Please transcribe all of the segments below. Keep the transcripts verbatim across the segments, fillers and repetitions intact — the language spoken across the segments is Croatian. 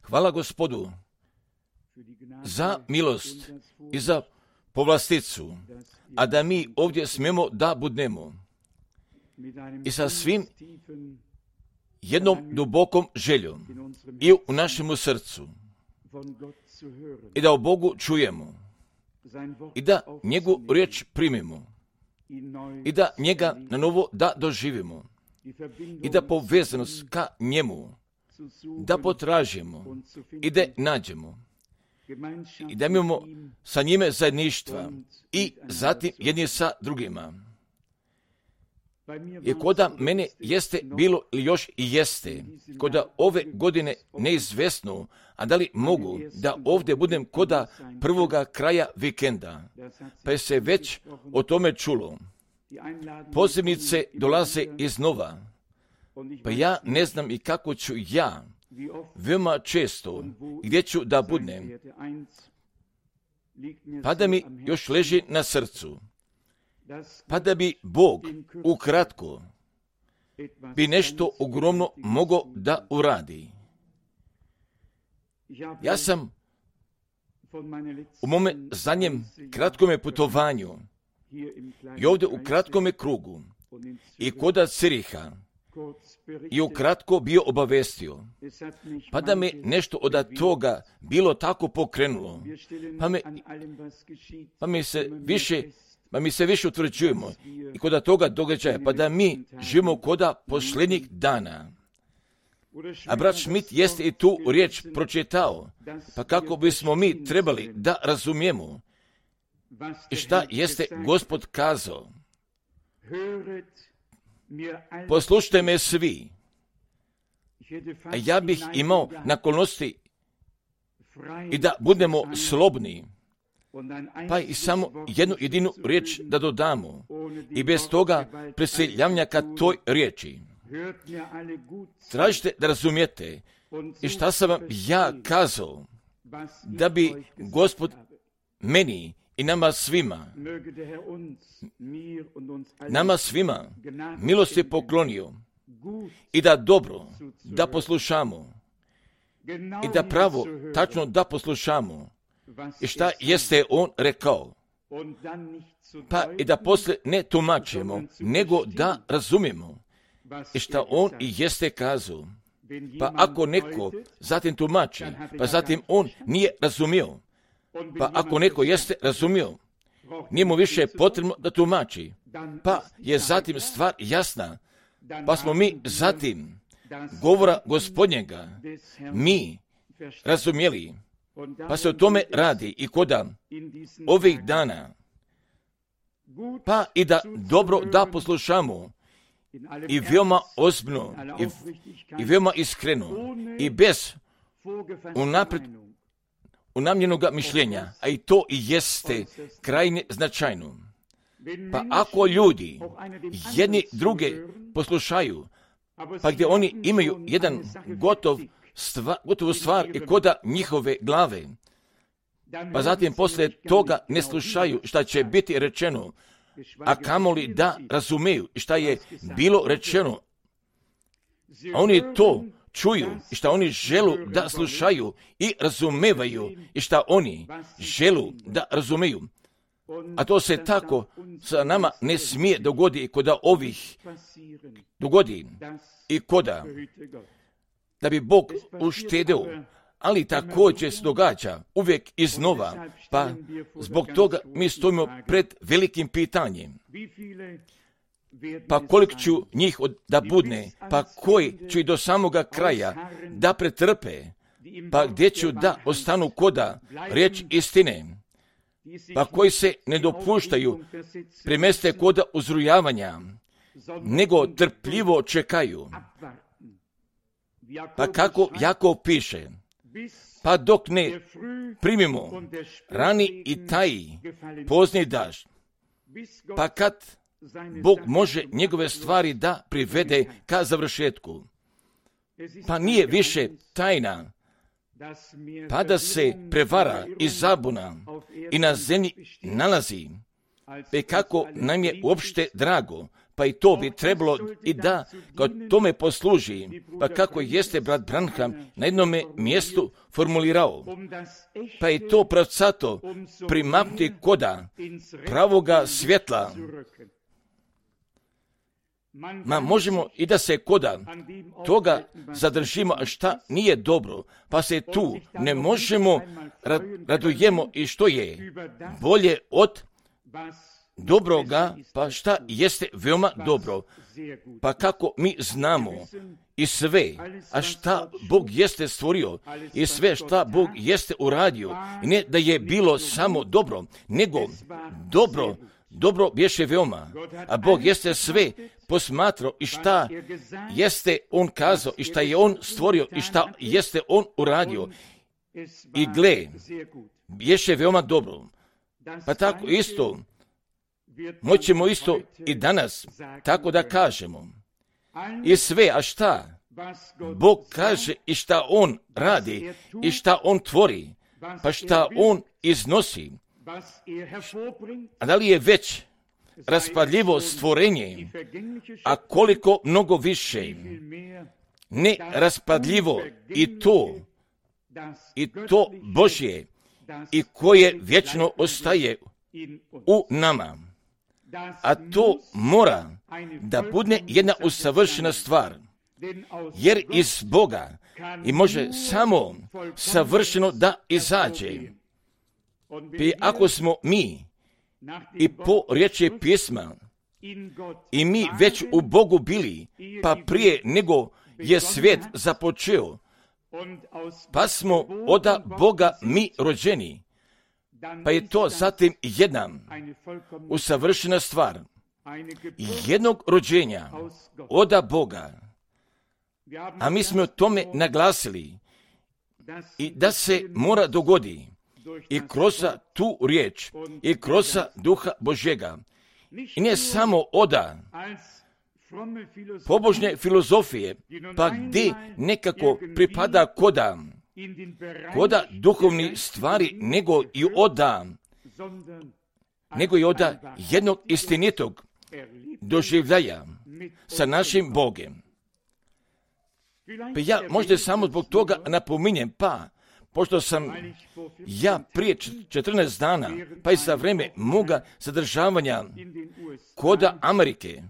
Hvala Gospodu za milost i za povlasticu, a da mi ovdje smijemo da budemo i sa svim jednom dubokom željom i u našemu srcu i da o Bogu čujemo i da njegovu riječ primimo i da njega na novo da doživimo i da povezanost ka njemu da potražimo i da nađemo i da imamo sa njime zajedništva i zatim jedni sa drugima. I koda mene jeste bilo ili još i jeste, koda ove godine neizvesno, a da li mogu da ovdje budem koda prvoga kraja vikenda, pa je se već o tome čulo. Pozivnice dolaze iznova, pa ja ne znam i kako ću ja veoma često gdje ću da budem, pa da mi još leži na srcu, pa da bi Bog ukratko bi nešto ogromno mogao da uradi. Ja sam u mome zadnjem kratkome putovanju i ovdje u kratkome krugu i koda Ciriha i ukratko bio obavestio, pa da me nešto od toga bilo tako pokrenulo, pa, me, pa mi se više Pa mi se više utvrđujemo i kod toga događaja, pa da mi živimo koda posljednjih dana. A brat Schmidt jeste i tu riječ pročitao, pa kako bismo mi trebali da razumijemo i šta jeste Gospod kazao. Poslušajte me svi, a ja bih imao naklonosti i da budemo slobni, pa i samo jednu jedinu riječ da dodamo i bez toga preseljavanja ka toj riječi. Tražite da razumijete i šta sam vam ja kazao, da bi Gospod meni i nama svima, nama svima milost je poklonio i da dobro da poslušamo i da pravo tačno da poslušamo i šta jeste on rekao, pa i da poslije ne tumačimo, nego da razumijemo i šta on i jeste kazao. Pa ako neko zatim tumači, pa zatim on nije razumio, pa ako neko jeste razumio, nije mu više potrebno da tumači, pa je zatim stvar jasna, pa smo mi zatim govora Gospodnjega mi razumjeli. Pa se o tome radi i koda ovih dana, pa i da dobro da poslušamo i veoma ozbiljno i, i veoma iskreno i bez unaprijed unamljenoga mišljenja, a i to i jeste krajnje značajno. Pa ako ljudi jedni druge poslušaju, pa gdje oni imaju jedan gotov Stva, gotovu stvar i koda njihove glave, pa zatim poslije toga ne slušaju šta će biti rečeno, a kamoli da razumeju šta je bilo rečeno. A oni to čuju i šta oni želu da slušaju i razumevaju i šta oni želu da razumeju. A to se tako sa nama ne smije dogodi koda ovih dogodi i koda da bi Bog uštedeo, ali također se događa uvijek iznova, pa zbog toga mi stojimo pred velikim pitanjem. Pa koliko ću njih da budne, pa koji ću i do samoga kraja da pretrpe, pa gdje ću da ostanu koda riječ istine, pa koji se ne dopuštaju premeste koda uzrujavanja, nego trpljivo čekaju. Pa kako Jakov piše, pa dok ne primimo rani i taji pozni dažd, pa kad Bog može njegove stvari da privede ka završetku, pa nije više tajna, pa da se prevara i zabuna i na zemlji nalazi, pa kako nam je uopšte drago, pa pa i to bi trebalo i da kao tome posluži, pa kako jeste brat Branham na jednome mjestu formulirao, pa i to pravcato primaknuti koda pravoga svjetla. Ma možemo i da se koda toga zadržimo, a šta nije dobro, pa se tu ne možemo radujemo i što je bolje od dobroga, pa šta jeste veoma dobro, pa kako mi znamo i sve, a šta Bog jeste stvorio i sve šta Bog jeste uradio, i ne da je bilo samo dobro, nego dobro, dobro bješe veoma, a Bog jeste sve posmatrao i šta jeste On kazao i šta je On stvorio i šta jeste On uradio, i gle, bješe veoma dobro. Pa tako isto moćemo isto i danas tako da kažemo. I sve, a šta Bog kaže i šta On radi i šta On tvori, pa šta On iznosi, a da li je već raspadljivo stvorenje, a koliko mnogo više ne raspadljivo i to, i to Božje, i koje vječno ostaje u nama. A to mora da bude jedna usavršena stvar, jer iz Boga i može samo savršeno da izađe. I ako smo mi i po riječi pisma i mi već u Bogu bili, pa prije nego je svijet započeo, pa smo od Boga mi rođeni, pa je to zatim jedna usavršena stvar jednog rođenja od Boga. A mi smo o tome naglasili i da se mora dogodi i kroz tu riječ i kroz Duha Božjega. I ne samo oda pobožne filozofije, pa gdje nekako pripada koda, koda duhovni stvari, nego i oda, nego i oda jednog istinitog doživljaja sa našim Bogem. Pa ja možda samo zbog toga napominjem, pa pošto sam ja prije četrnaest dana, pa i za vreme moga zadržavanja koda Amerike,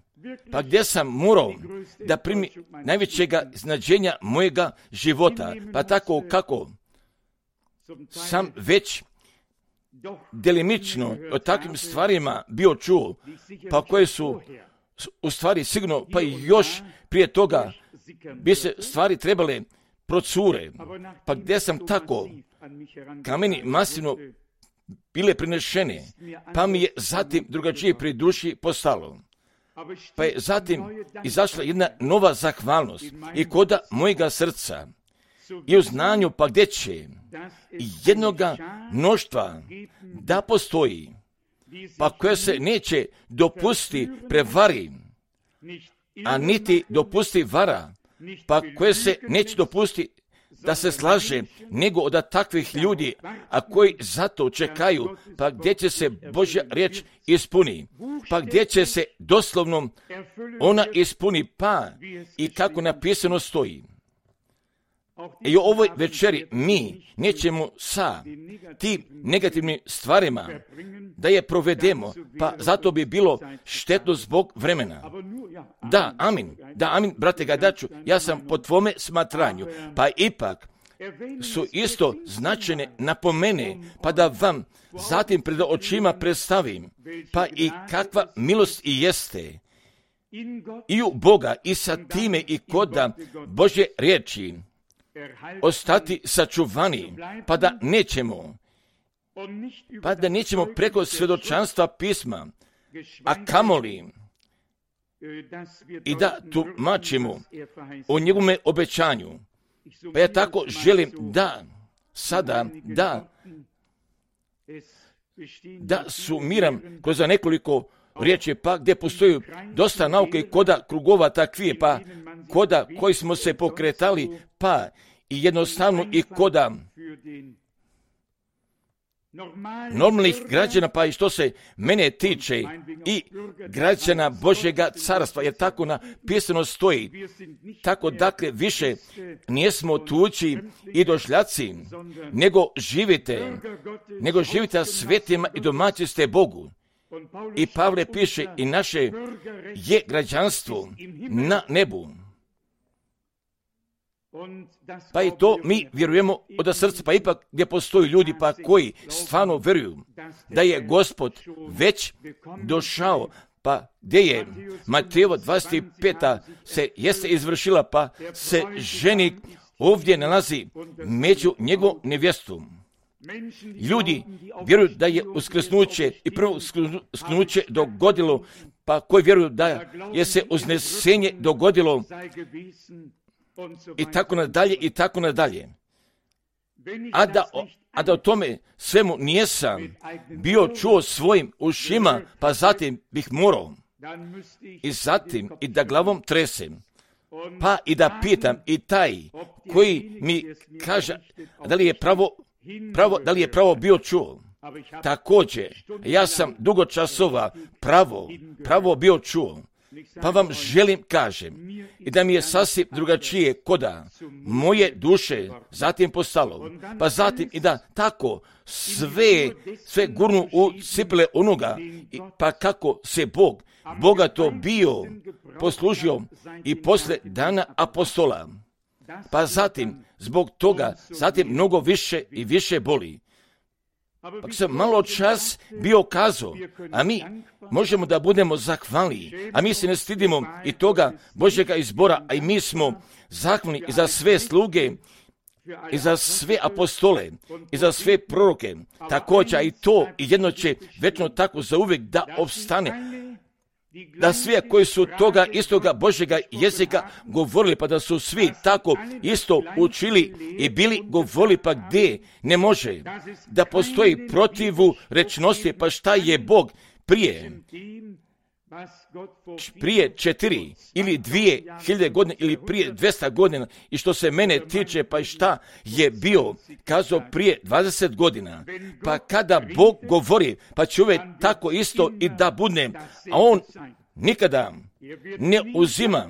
pa gdje sam morao da primi najvećega značenja mojega života, pa tako kako sam već delimično o takvim stvarima bio čuo, pa koje su u stvari sigurno, pa i još prije toga bi se stvari trebale procure, pa gdje sam tako ka meni masivno bile prinešene, pa mi je zatim drugačije pri duši postalo. Pa je zatim izašla jedna nova zahvalnost i koda mojega srca i u znanju, pa gdje će jednoga mnoštva da postoji, pa koja se neće dopusti prevari, a niti dopusti vara, pa koje se neće dopusti da se slaže, nego od takvih ljudi, a koji zato čekaju, pa gdje će se Božja riječ ispuni, pa gdje će se doslovno ona ispuni, pa i kako napisano stoji. I u ovoj večeri mi nećemo sa tim negativnim stvarima da je provedemo, pa zato bi bilo štetno zbog vremena. Da, amin, da, amin, brate Gadaču, ja sam po tvome smatranju, pa ipak su isto značajne napomene, pa da vam zatim pred očima predstavim, pa i kakva milost i jeste i u Boga i sa time i koda Božje riječi ostati sačuvani, pa da nećemo, pa da nećemo preko svjedočanstva pisma, a kamoli i da tumačimo o njegovome obećanju. Pa ja tako želim da sada, da, da sumiram kroz nekoliko riječi, pa gdje postoji dosta nauke i koda krugova takvije, pa koda koji smo se pokretali, pa i jednostavno i koda normalnih građana, pa i što se mene tiče i građana Božjega carstva, jer tako napisano stoji. Tako dakle više nijesmo tuđi i došljaci, nego živite, nego živite svetima i domaći ste Bogu. I Pavle piše, i naše je građanstvo na nebu. Pa i to mi vjerujemo od srca, pa ipak gdje postoji ljudi pa koji stvarno vjeruju da je Gospod već došao, pa gdje je Matejevo dvadeset peta se jeste izvršila, pa se ženik ovdje nalazi među njegovom nevjestu. Ljudi vjeruju da je uskrsnuće i prvo uskrsnuće dogodilo, pa koji vjeruju da je se uznesenje dogodilo, i tako nadalje, i tako nadalje. A da, a da o tome svemu nijesam bio čuo svojim ušima, pa zatim bih morao i zatim i da glavom tresem, pa i da pitam i taj koji mi kaže da li je pravo, pravo da li je pravo bio čuo. Također, ja sam dugo časova pravo, pravo bio čuo. Pa vam želim kažem i da mi je sasvim drugačije koda moje duše zatim postalo, pa zatim i da tako sve, sve gurnu u cipele onoga, pa kako se Bog bogato bio poslužio i posle dana apostola, pa zatim zbog toga zatim mnogo više i više boli. Pa sam malo čas bio kazao, a mi možemo da budemo zahvalni, a mi se ne stidimo i toga Božjega izbora, a i mi smo zahvalni i za sve sluge, i za sve apostole, i za sve proroke, također i to i jedno će večno tako zauvijek da opstane, da svi koji su toga istoga Božjega jezika govorili, pa da su svi tako isto učili i bili govorili, pa gdje ne može da postoji protivu rečnosti, pa šta je Bog prije, prije četiri ili dvije hiljade godine ili prije dvesta godina, i što se mene tiče, pa šta je bio kazao prije dvadeset godina, pa kada Bog govori, pa će uvijek tako isto i da bude, a on nikada ne uzima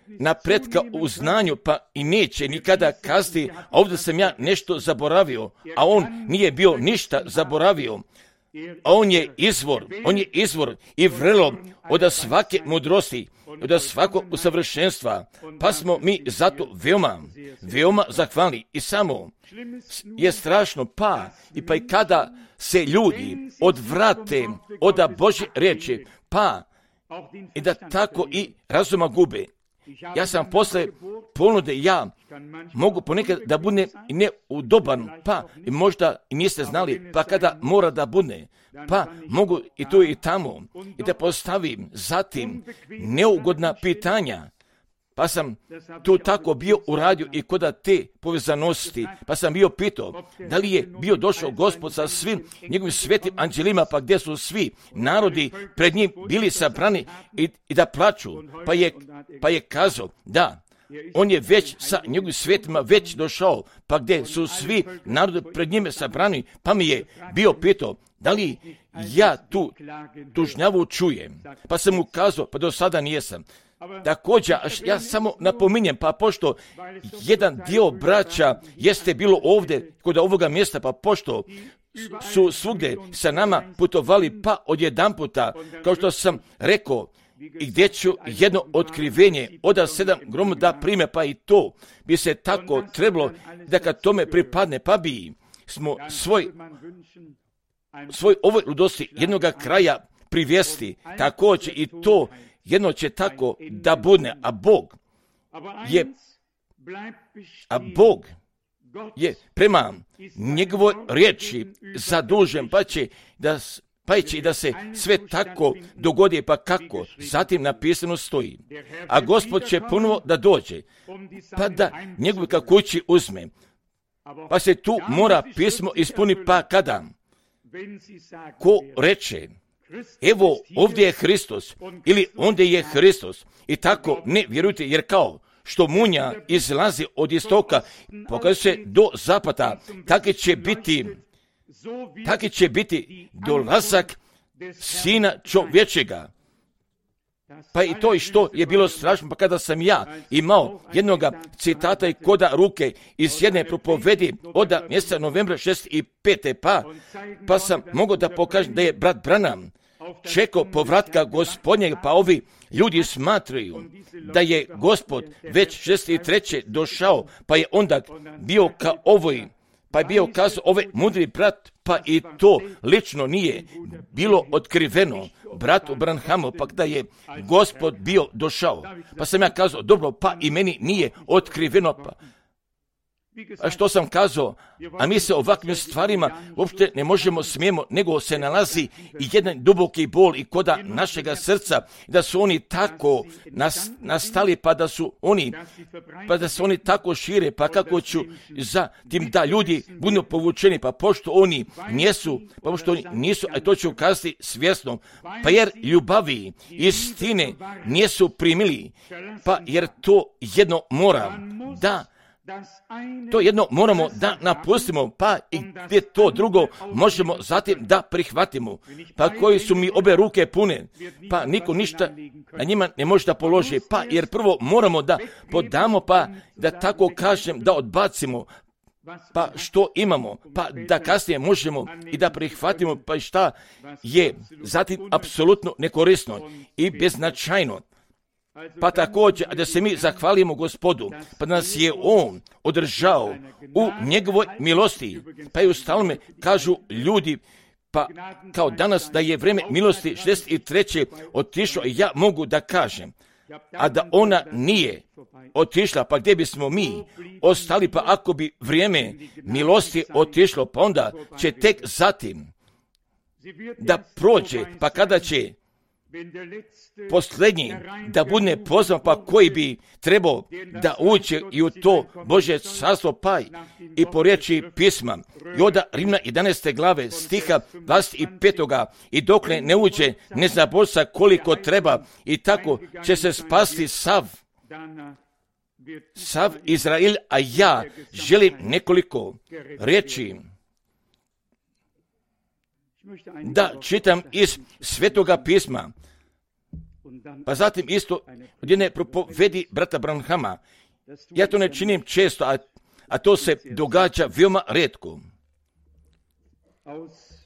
napretka u znanju, pa i neće nikada kazati, a ovdje sam ja nešto zaboravio, a on nije bio ništa zaboravio. A on je izvor, on je izvor i vrelo od svake mudrosti, od svakog usavršenstva, pa smo mi zato veoma, veoma zahvalni. I samo je strašno, pa i pa i kada se ljudi odvrate od Božje riječi, pa i da tako i razuma gube. Ja sam posle ponude, ja mogu ponekad da bude i neudoban, pa i možda i niste znali, pa kada mora da bude, pa mogu i tu i tamo i da postavim zatim neugodna pitanja, pa sam tu tako bio uradio i kod te povezanosti, pa sam bio pitao da li je bio došao Gospod sa svim njegovim svetim anđelima, pa gdje su svi narodi pred njim bili sabrani i, i da plaču, pa je, pa je kazao da on je već sa njegovim svetima već došao, pa gdje su svi narodi pred njime sabrani, pa mi je bio pitao da li ja tu tužnjavu čujem, pa sam mu kazao, pa do sada nijesam. Također, ja samo napominjem, pa pošto jedan dio braća jeste bilo ovdje kod ovoga mjesta, pa pošto su svugdje sa nama putovali, pa odjedanputa, kao što sam rekao, i gdje ću jedno otkrivenje od sedam gromu da prime, pa i to bi se tako trebalo da kad tome pripadne, pa bi smo svoj, svoj ovoj ludosti jednoga kraja privesti, također i to jedno će tako da bude, a Bog je, a Bog je prema njegovoj riječi zadužen, pa će da, pa će da se sve tako dogodi, pa kako zatim napisano stoji. A Gospod će ponovo da dođe, pa da njegovi ka kući uzme, pa se tu mora pismo ispuni, pa kada ko reče evo ovdje je Hristos ili ondje je Hristos i tako ne vjerujte, jer kao što munja izlazi od istoka pokazuje se do zapada, tako će biti taki će biti dolazak Sina čovječega. Pa i to i što je bilo strašno, pa kada sam ja imao jednoga citata i koda ruke iz jedne propovedi od mjeseca novembra šezdeset pete pa, pa sam mogao da pokažem da je brat Branham čekao povratka Gospodnjeg, pa ovi ljudi smatraju da je Gospod već šezdeset treće došao, pa je onda bio ka ovoj, pa je bio kazao ovaj mudri brat, pa i to lično nije bilo otkriveno bratu Branhamu, pa da je Gospod bio došao. Pa sam ja kazao, dobro, pa i meni nije otkriveno, pa a što sam kazao, a mi se ovakvim stvarima uopšte ne možemo, smijemo, nego se nalazi i jedan duboki bol i koda našega srca, da su oni tako nas, nastali, pa da su oni, pa da se oni tako šire, pa kako ću za tim da ljudi budu povučeni, pa pošto oni nisu, pa pošto oni nisu, a to ću kazati svjesno, pa jer ljubavi istine nisu primili, pa jer to jedno mora da To jedno moramo da napustimo, pa i gdje to drugo možemo zatim da prihvatimo. Pa koji su mi obe ruke pune, pa niko ništa na njima ne može da položi, pa jer prvo moramo da podamo, pa da tako kažem da odbacimo, pa što imamo, pa da kasnije možemo i da prihvatimo, pa i šta je zatim apsolutno nekorisno i beznačajno. Pa također, da se mi zahvalimo Gospodu, pa nas je On održao u njegovoj milosti. Pa i u stalome kažu ljudi, pa kao danas da je vrijeme milosti šezdeset treće otišlo, ja mogu da kažem, a da ona nije otišla, pa gdje bismo mi ostali, pa ako bi vrijeme milosti otišlo, pa onda će tek zatim da prođe, pa kada će posljednji da bude pozvan, pa koji bi trebao da uđe i u to Božje carstvo, pa i po riječi pisma. I onda Rimna jedanaeste glave stiha dvadeset pet i dokle ne uđe, ne zna Božca koliko treba, i tako će se spasti sav sav Izrael, a ja želim nekoliko riječi da čitam iz Svetoga pisma, pa zatim isto od jedne propovedi brata Branhama. Ja to ne činim često, a, a to se događa veoma rijetko.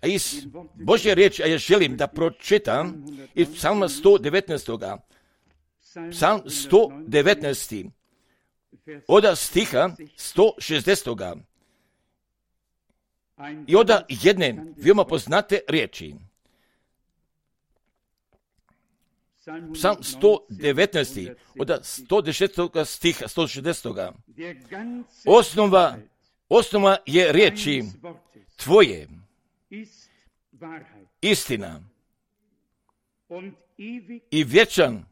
A iz Božje riječi, a ja želim da pročitam iz psalma sto devetnaest. Psalm sto devetnaest. Od stiha sto šezdeset. I onda jedne veoma poznate riječi. Psalm sto devetnaest. Od sto desetog stiha, sto šezdeset. Osnova, osnova je riječi tvoje, istina, i vječan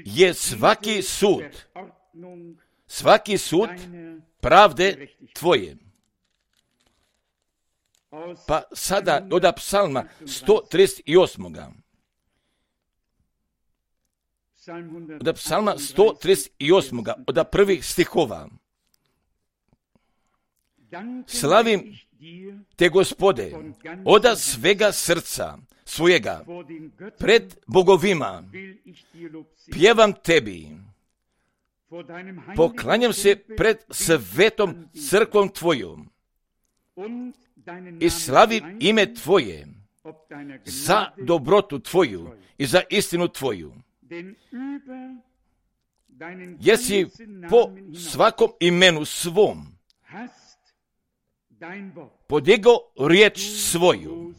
je svaki sud, svaki sud pravde tvoje. Pa sada od psalma sto trideset osam. Od psalma sto trideset osam, od prvih stihova. Slavim te, Gospode, od svega srca svojega, pred bogovima, pjevam tebi, poklanjam se pred svetom crkvom tvojom i slavim ime tvoje za dobrotu tvoju i za istinu tvoju. Jesi po svakom imenu svom podigao riječ svoju.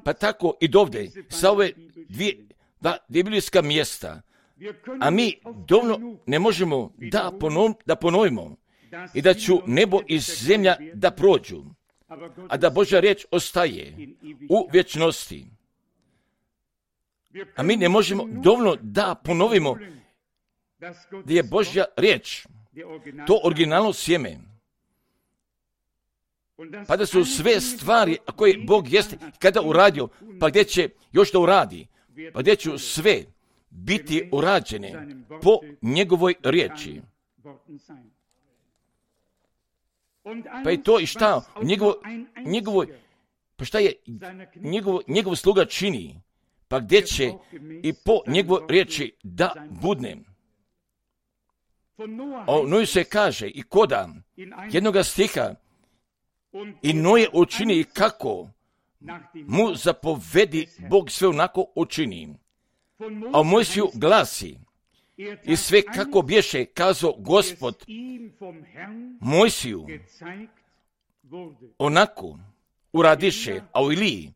Pa tako i dovde, sa ove dvije, dva biblijska mjesta, a mi dovoljno ne možemo da, ponov, da ponovimo i da ću nebo i zemlja da prođu, a da Božja riječ ostaje u vječnosti. A mi ne možemo dovoljno da ponovimo da je Božja riječ to originalno sjeme. Pa da su sve stvari koje Bog jeste kada uradio, pa gdje će još da uradi, pa gdje će sve biti urađene po njegovoj riječi. Pa je to i šta njegovo, njegovo, pa šta je njegov, njegov sluga čini, pa gdje će i po njegovoj riječi da budne. O Noju se kaže i koda jednoga stiha i Noje učini kako mu zapovedi Bog sve onako učini. A u Mojsiju glasi i sve kako bješe kazao Gospod Mojsiju onako uradiše, a u Iliji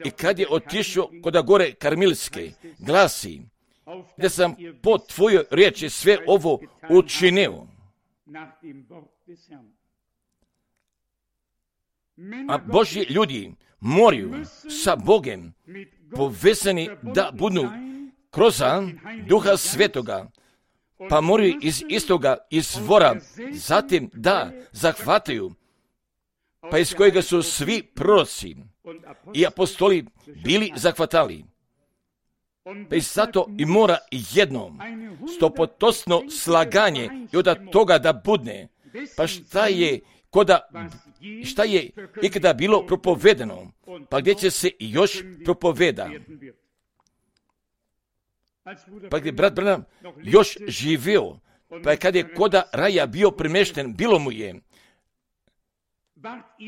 i kad je otišao kod gore Karmilske glasi da sam po tvojoj riječi sve ovo učinio. A Božji ljudi moraju sa Bogem povezani da budu kroz Duha Svetoga, pa moraju iz istoga izvora zatim da zahvataju, pa iz kojega su svi proroci i apostoli bili zahvatali. Pa i zato i mora jedno stopostotno slaganje i od toga da budne. Pa šta je koda, šta je ikada bilo propovedano, pa gdje će se još propoveda. Pa gdje brat Branham još živio, pa kad je koda raja bio premješten, bilo mu je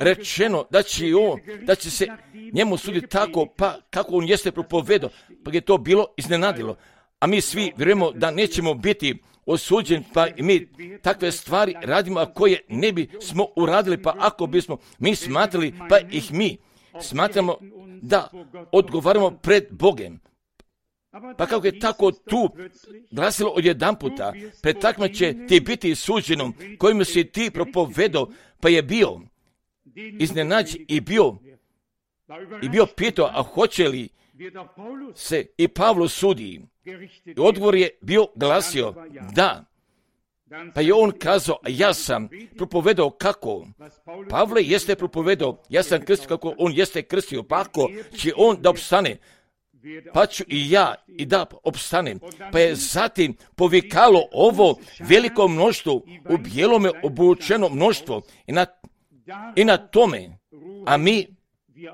rečeno da će, on, da će se njemu suditi tako, pa kako on jeste propovedao, pa je to bilo iznenadilo. A mi svi vjerujemo da nećemo biti osuđeni, pa i mi takve stvari radimo, a koje ne bi smo uradili, pa ako bismo mi smatrali, pa ih mi smatramo da odgovaramo pred Bogem. Pa kako je tako tu glasilo odjedan puta, pred takvima će ti biti suđenom kojim si ti propovedao, pa je bio iznenađen i bio, i bio pitao, a hoće li se i Pavlo sudi? I odgovor je bio glasio, da. Pa je on kazao, ja sam propovedao kako Pavle jeste propovedao, ja sam krstio kako on jeste krstio, pa ako će on da opstane, pa ću i ja i da opstanem. Pa je zatim povikalo ovo veliko mnoštvo, u bijelome obučeno mnoštvo i na, i na tome, a mi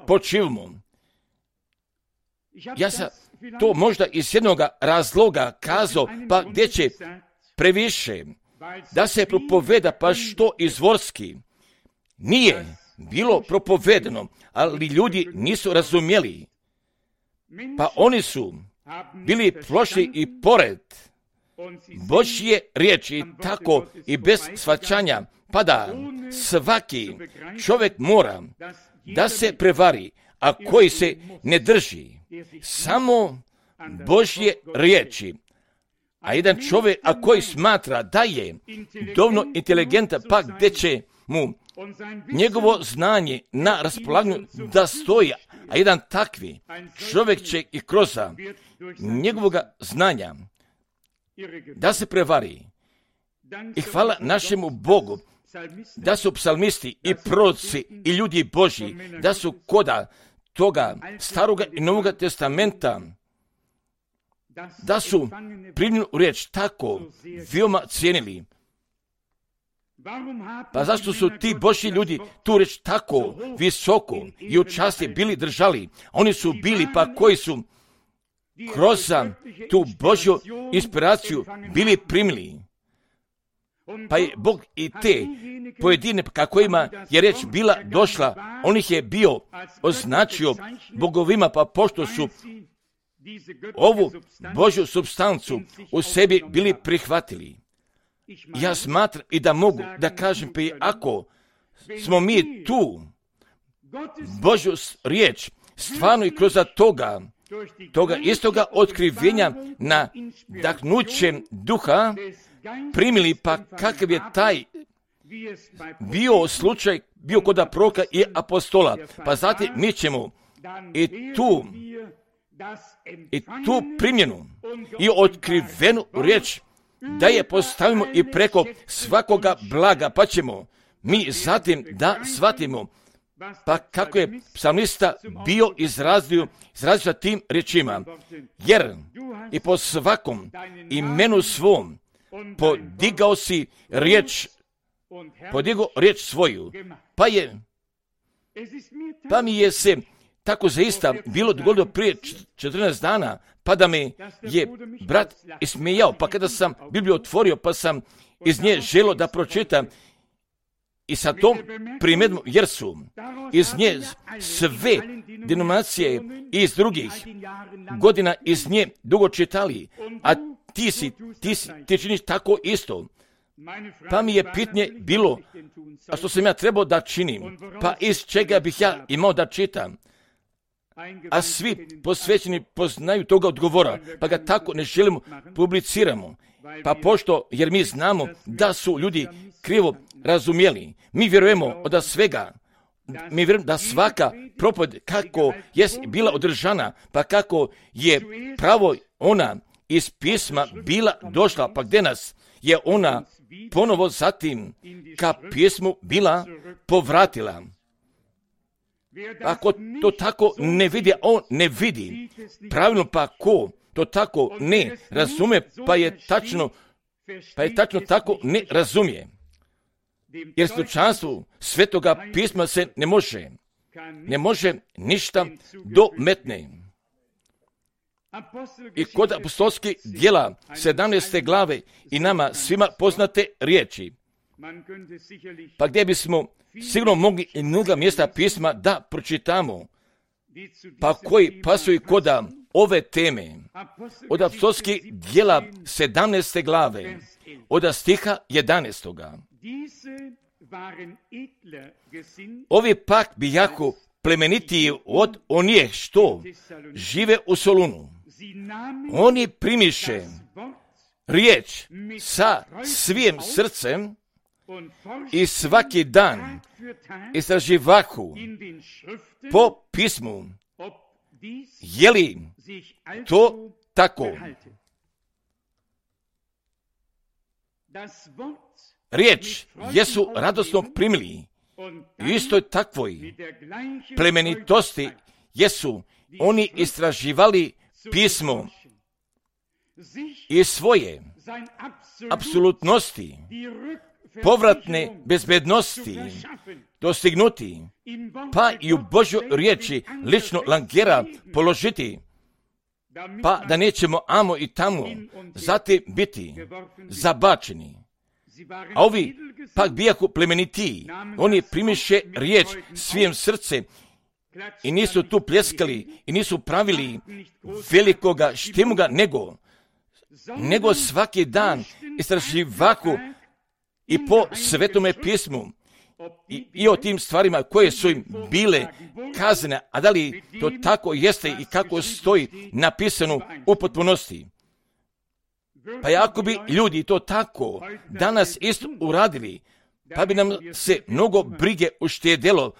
počivamo. Ja sam to možda iz jednog razloga kazao, pa gdje će previše da se propoveda, pa što izvorski nije bilo propovedano, ali ljudi nisu razumjeli. Pa oni su bili prošli i pored Božje riječi, tako i bez shvaćanja, pa da svaki čovjek mora da se prevari, a koji se ne drži samo Božje riječi. A jedan čovjek, a koji smatra da je dovoljno inteligentan, pa gdje će mu njegovo znanje na raspolaganju da stoji, a jedan takvi čovjek će i kroz njegovog znanja da se prevari. I hvala našemu Bogu da su psalmisti i proroci i ljudi Božji, da su koda toga staroga i novoga testamenta, da su primljenu riječ tako veoma cijenili. Pa zašto su ti Božji ljudi tu riječ tako visoko i u časti bili držali? Oni su bili pa koji su kroz tu Božju inspiraciju bili primili. Pa je Bog i te pojedine kojima je riječ bila došla, on ih je bio označio bogovima, pa pošto su ovu Božju supstancu u sebi bili prihvatili. Ja smatram i da mogu da kažem, pa ako smo mi tu Božju riječ stvarno i kroz toga, toga istoga otkrivenja na dahnućem duha primili, pa kakav je taj bio slučaj, bio kod proroka i apostola, pa zatim mi ćemo i tu, i tu primjenu i otkrivenu riječ da je postavimo i preko svakoga blaga, pa ćemo mi zatim da shvatimo, pa kako je psalmista bio izrazio, izrazio tim riječima, jer i po svakom imenu svom podigao si riječ podigo riječ svoju, pa je, pa mi je se tako zaista bilo dogodilo prije četrnaest dana, pa da me je brat ismijao, pa kada sam Bibliju otvorio, pa sam iz nje želio da pročitam, i sa tom primjedbom, jer su iz nje sve denominacije iz drugih godina iz nje dugo čitali, a ti si, ti si, ti činiš tako isto. Pa mi je pitanje bilo, a što sam ja trebao da činim, pa iz čega bih ja imao da čitam. A svi posvećeni poznaju toga odgovora, pa ga tako ne želimo publiciramo. Pa pošto, jer mi znamo da su ljudi krivo razumjeli, mi vjerujemo od svega, mi vjerujemo da svaka propoved kako je bila održana, pa kako je pravo ona iz pisma bila došla, pa gdje nas je ona ponovo zatim ka pismu bila povratila. Ako to tako ne vidi, on ne vidi pravilno, pa ko to tako ne razume, pa je tačno, pa je tačno tako ne razumije. Jer slučanstvu Svetoga pisma se ne može, ne može ništa dometne. I kod apostolskih djela sedamnaeste glave i nama svima poznate riječi, pa gdje bismo sigurno mogli i mnoga mjesta pisma da pročitamo, pa koji pasuju koda ove teme, od apostolskih djela sedamnaeste glave, od stiha jedanaestoga. Ovi pak bi jako plemenitiji od onih što žive u Solunu. Oni primiše riječ sa svim srcem i svaki dan istraživahu po pismu, je li to tako? Riječ jesu radosno primili, istoj takvoj plemenitosti jesu oni istraživali pismo i svoje apsolutnosti, povratne bezbednosti dostignuti, pa i u Božju riječi lično langera položiti, pa da nećemo amo i tamo zatim biti zabačeni. A ovi pak bijahu plemenitiji, oni primiše riječ svim srcem i nisu tu pljeskali i nisu pravili velikoga štimuga, nego, nego svaki dan istraživahu i po Svetome pismu i, i o tim stvarima koje su im bile kazane, a da li to tako jeste i kako stoji napisano u potpunosti. Pa ako bi ljudi to tako danas isto uradili, pa bi nam se mnogo brige uštedjelo,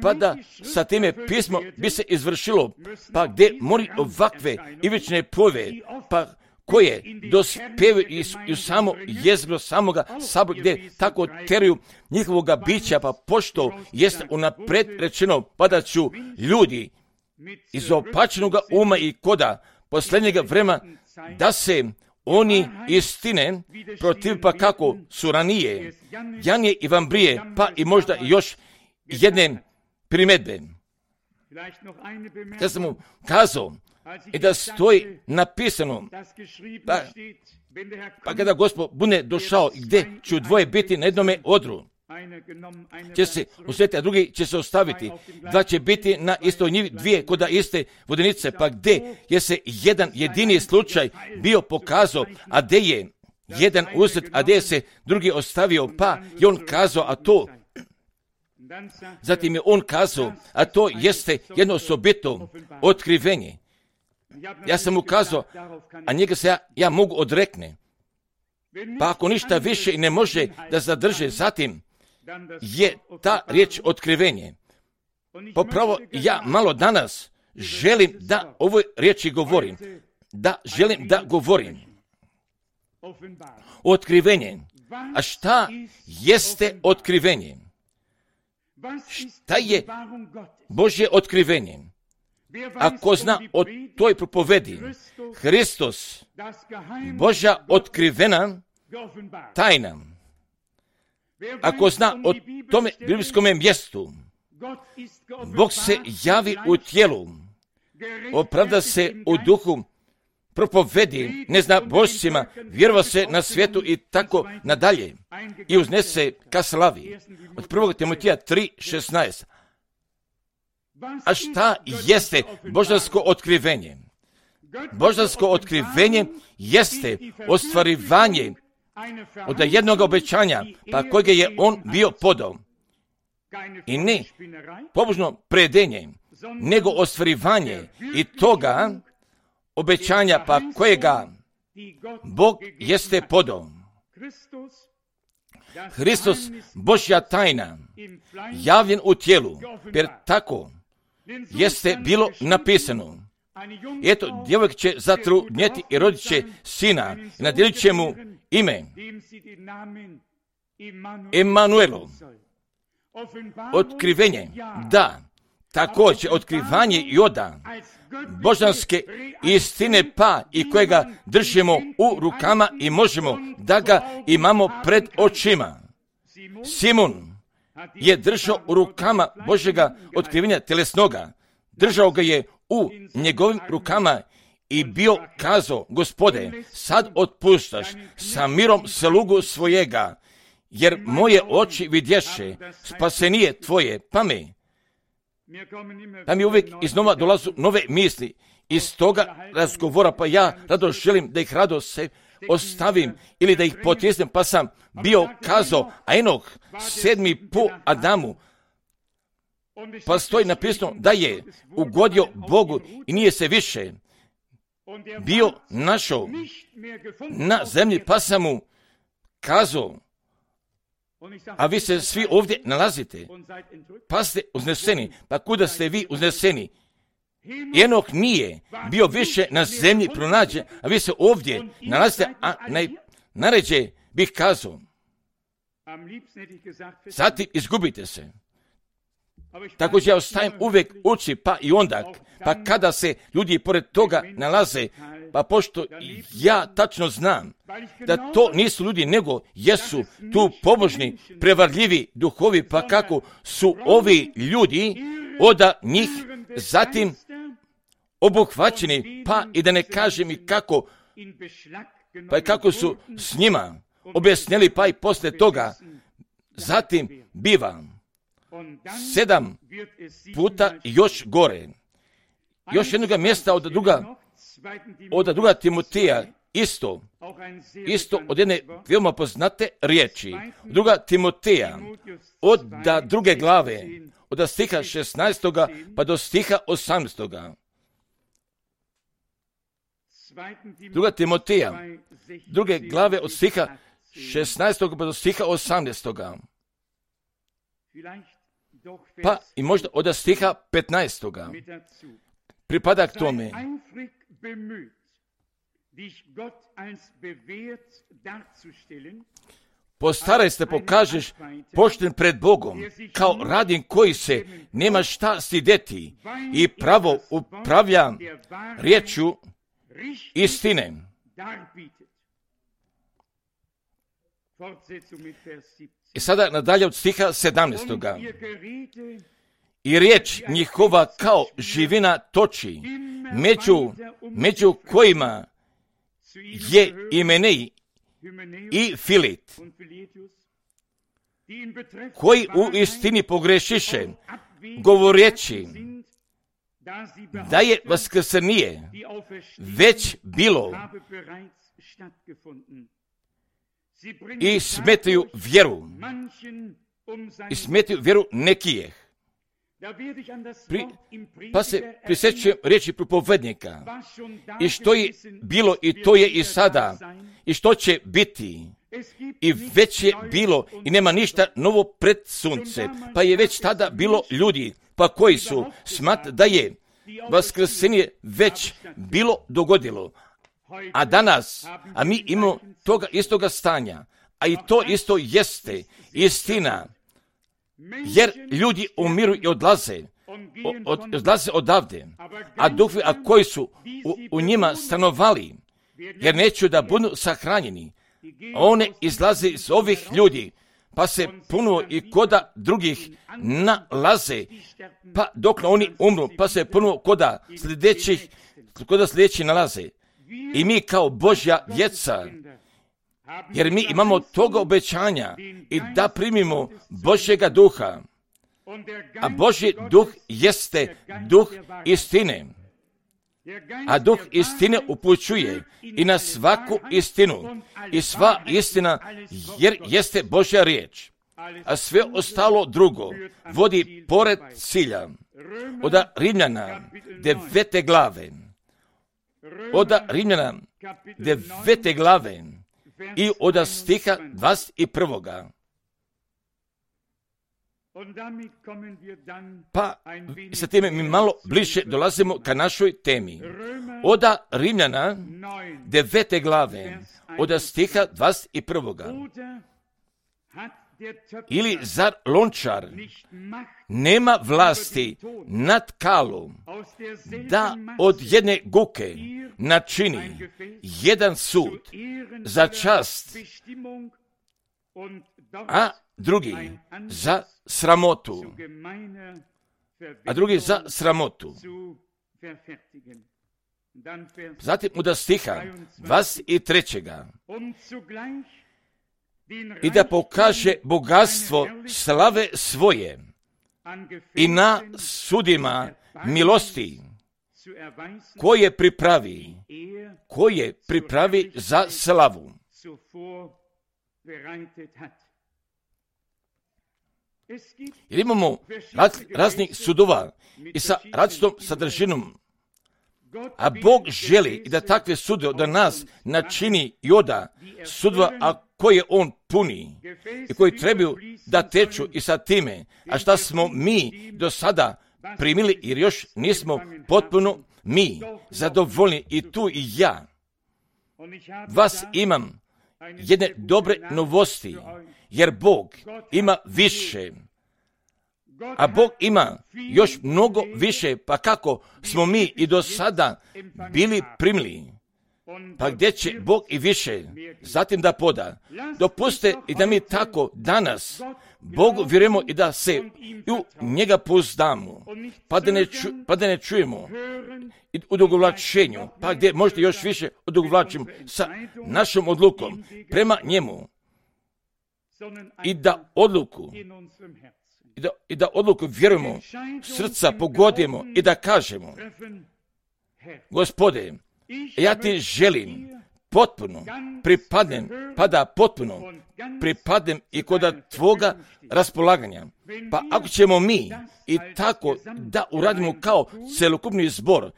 pa da sa time pismo bi se izvršilo, pa gdje mori ovakve ivične pove, pa koje dospevaju i u samo jezgro samoga sabora, gdje tako teruju njihovoga bića, pa pošto jeste unapred rečeno, pa da ću ljudi iz opačenoga uma i koda posljednjega vremena da se oni istine protiv, pa kako su ranije Janije i Vambrije, pa i možda još jedne primjedbe. Kad sam mu kazao i da stoji napisano, pa, pa kada Gospod bude došao, gdje ću dvoje biti na jednome odru, će se usvjetiti, a drugi će se ostaviti. Dva će biti na istoj njivi, dvije koda iste vodenice, pa gdje je se jedan jedini slučaj bio pokazao, a gdje je jedan uzet, a gdje je se drugi ostavio, pa je on kazao, a to zatim je on kazao, a to jeste jedno osobito otkrivenje. Ja sam mu kazao, a njega se ja, ja mogu odrekne. Pa ako ništa više i ne može da zadrže, zatim je ta riječ otkrivenje. Popravo ja malo danas želim da ovoj riječi govorim. Da želim da govorim. Otkrivenje. A šta jeste otkrivenje? Šta je Božje otkrivenje? Ako zna o toj propovedi, Hristos, Božja otkrivena tajna, ako zna o tome biblijskom mjestu, Bog se javi u tijelu, opravda se u duhu, propovedi neznabošcima, vjerova se na svijetu i tako nadalje i uznese ka slavi. Od prvog Timotija tri šesnaest. A šta jeste božansko otkrivenje? Božansko otkrivenje jeste ostvarivanje od jednog obećanja, pa kojeg je on bio podao. I ne pobožno predenje, nego ostvarivanje i toga obećanja, pa kojega Bog jeste podao. Hristos, Božja tajna, javljen u tijelu, jer tako jeste bilo napisano. Eto, djevojk će zatrudnjeti i rodit će sina i nadjelit će mu ime Emanuelu. Otkrivenje, da, također otkrivanje Joda, božanske istine pa i kojega držimo u rukama i možemo da ga imamo pred očima. Simon je držao u rukama Božjega otkrivenja telesnoga, držao ga je u njegovim rukama i bio kazao, Gospode, sad otpuštaš sa mirom slugu svojega, jer moje oči vidješe spasenije tvoje, pa me. Pa mi uvijek iznova dolazu nove misli iz toga razgovora, pa ja rado želim da ih rado se ostavim ili da ih potjesnem, pa sam bio kazao, a Enoh, sedmi po Adamu, pa stoji napisano da je ugodio Bogu i nije se više bio našao na zemlji, pa sam mu kazao, a vi se svi ovdje nalazite, pa ste uzneseni, pa kuda ste vi uzneseni? Enoh nije bio više na zemlji pronađen, a vi se ovdje nalazite, a najnaređe bih kazao, zatim izgubite se. Tako ja ostajem uvijek uči, pa i onda, pa kada se ljudi pored toga nalaze, pa pošto ja tačno znam da to nisu ljudi, nego jesu tu pobožni, prevarljivi duhovi, pa kako su ovi ljudi od njih zatim obuhvaćeni, pa i da ne kažem i kako, pa i kako su s njima objasnili, pa i poslije toga zatim biva sedam puta još gore. Još jednoga mjesta od druga, od druga Timotija, isto, isto od jedne veoma poznate riječi. Druga Timotija, od da druge glave, od stiha šesnaestoga pa do stiha osamnaestoga. Druga Timotija, druge glave od stiha šesnaestoga pa do stiha osamnaestoga. Pa i možda od stiha petnaestoga. Pripada k tome. Postaraj se pokažeš pošten pred Bogom, kao radin koji se nema šta stideti i pravo upravlja riječju istine. I sada nadalje od stiha sedamnaestoga. I riječ njihova kao živina toči, među, među kojima je Imenej i Filit, koji u istini pogrešiše, govoreći da je vaskrsenije već bilo i smetaju vjeru, i smetaju vjeru nekijeh. Pri, pa se prisjećujem riječi propovednika i što je bilo i to je i sada i što će biti i već je bilo i nema ništa novo pred sunce, pa je već tada bilo ljudi pa koji su smat da je vaskrsenje već bilo dogodilo, a danas, a mi imamo toga istoga stanja, a i to isto jeste istina. Jer ljudi umiru i odlaze, od, odlaze odavde, a duhovi, a koji su u, u njima stanovali, jer neću da budu sahranjeni, one izlaze iz ovih ljudi, pa se ponovo i koda drugih nalaze, pa dok oni umru, pa se ponovo koda sljedećih, koda sljedeći nalaze. I mi kao Božja djeca, jer mi imamo toga obećanja i da primimo Božjega duha, a Božji duh jeste duh istine. A duh istine upućuje i na svaku istinu. I sva istina jer jeste Božja riječ. A sve ostalo drugo vodi pored cilja. Od Rimljana devete glave. Od Rimljana devete glave i od stiha dvadeset prvoga. Pa sa time mi malo bliže dolazimo ka našoj temi. Od Rimljana devete glave, od stiha dvadeset prvoga. Ili zar lončar nema vlasti nad kalom da od jedne guke načini jedan sud za čast, a drugi za sramotu, a drugi za sramotu. Zatim od stiha dvadeset trećega. I da pokaže bogatstvo slave svoje i na sudima milosti koje pripravi, koje pripravi za slavu. Jer imamo raz, raznih sudova i sa različitom sadržinom, a Bog želi i da takve sudove da nas načini i oda sudova, a koje On puni i koji trebaju da teču i sa time, a šta smo mi do sada primili jer još nismo potpuno mi zadovoljni i tu i ja. Vas imam jedne dobre novosti, jer Bog ima više, a Bog ima još mnogo više, pa kako smo mi i do sada bili primili, pa gdje će Bog i više zatim da poda. Dopuste i da mi tako danas Bogu vjerujemo i da se u njega pouzdamo, pa da ne, ču, pa da ne čujemo i odugovlačenju, pa gdje možda još više odugovlačimo sa našom odlukom prema njemu i da odluku i da, i da odluku vjerujemo, srca pogodimo i da kažemo: Gospode, ja ti želim potpuno pripadnem, pa da potpuno pripadnem i kod tvoga raspolaganja. Pa ako ćemo mi i tako da uradimo kao celokupni zbor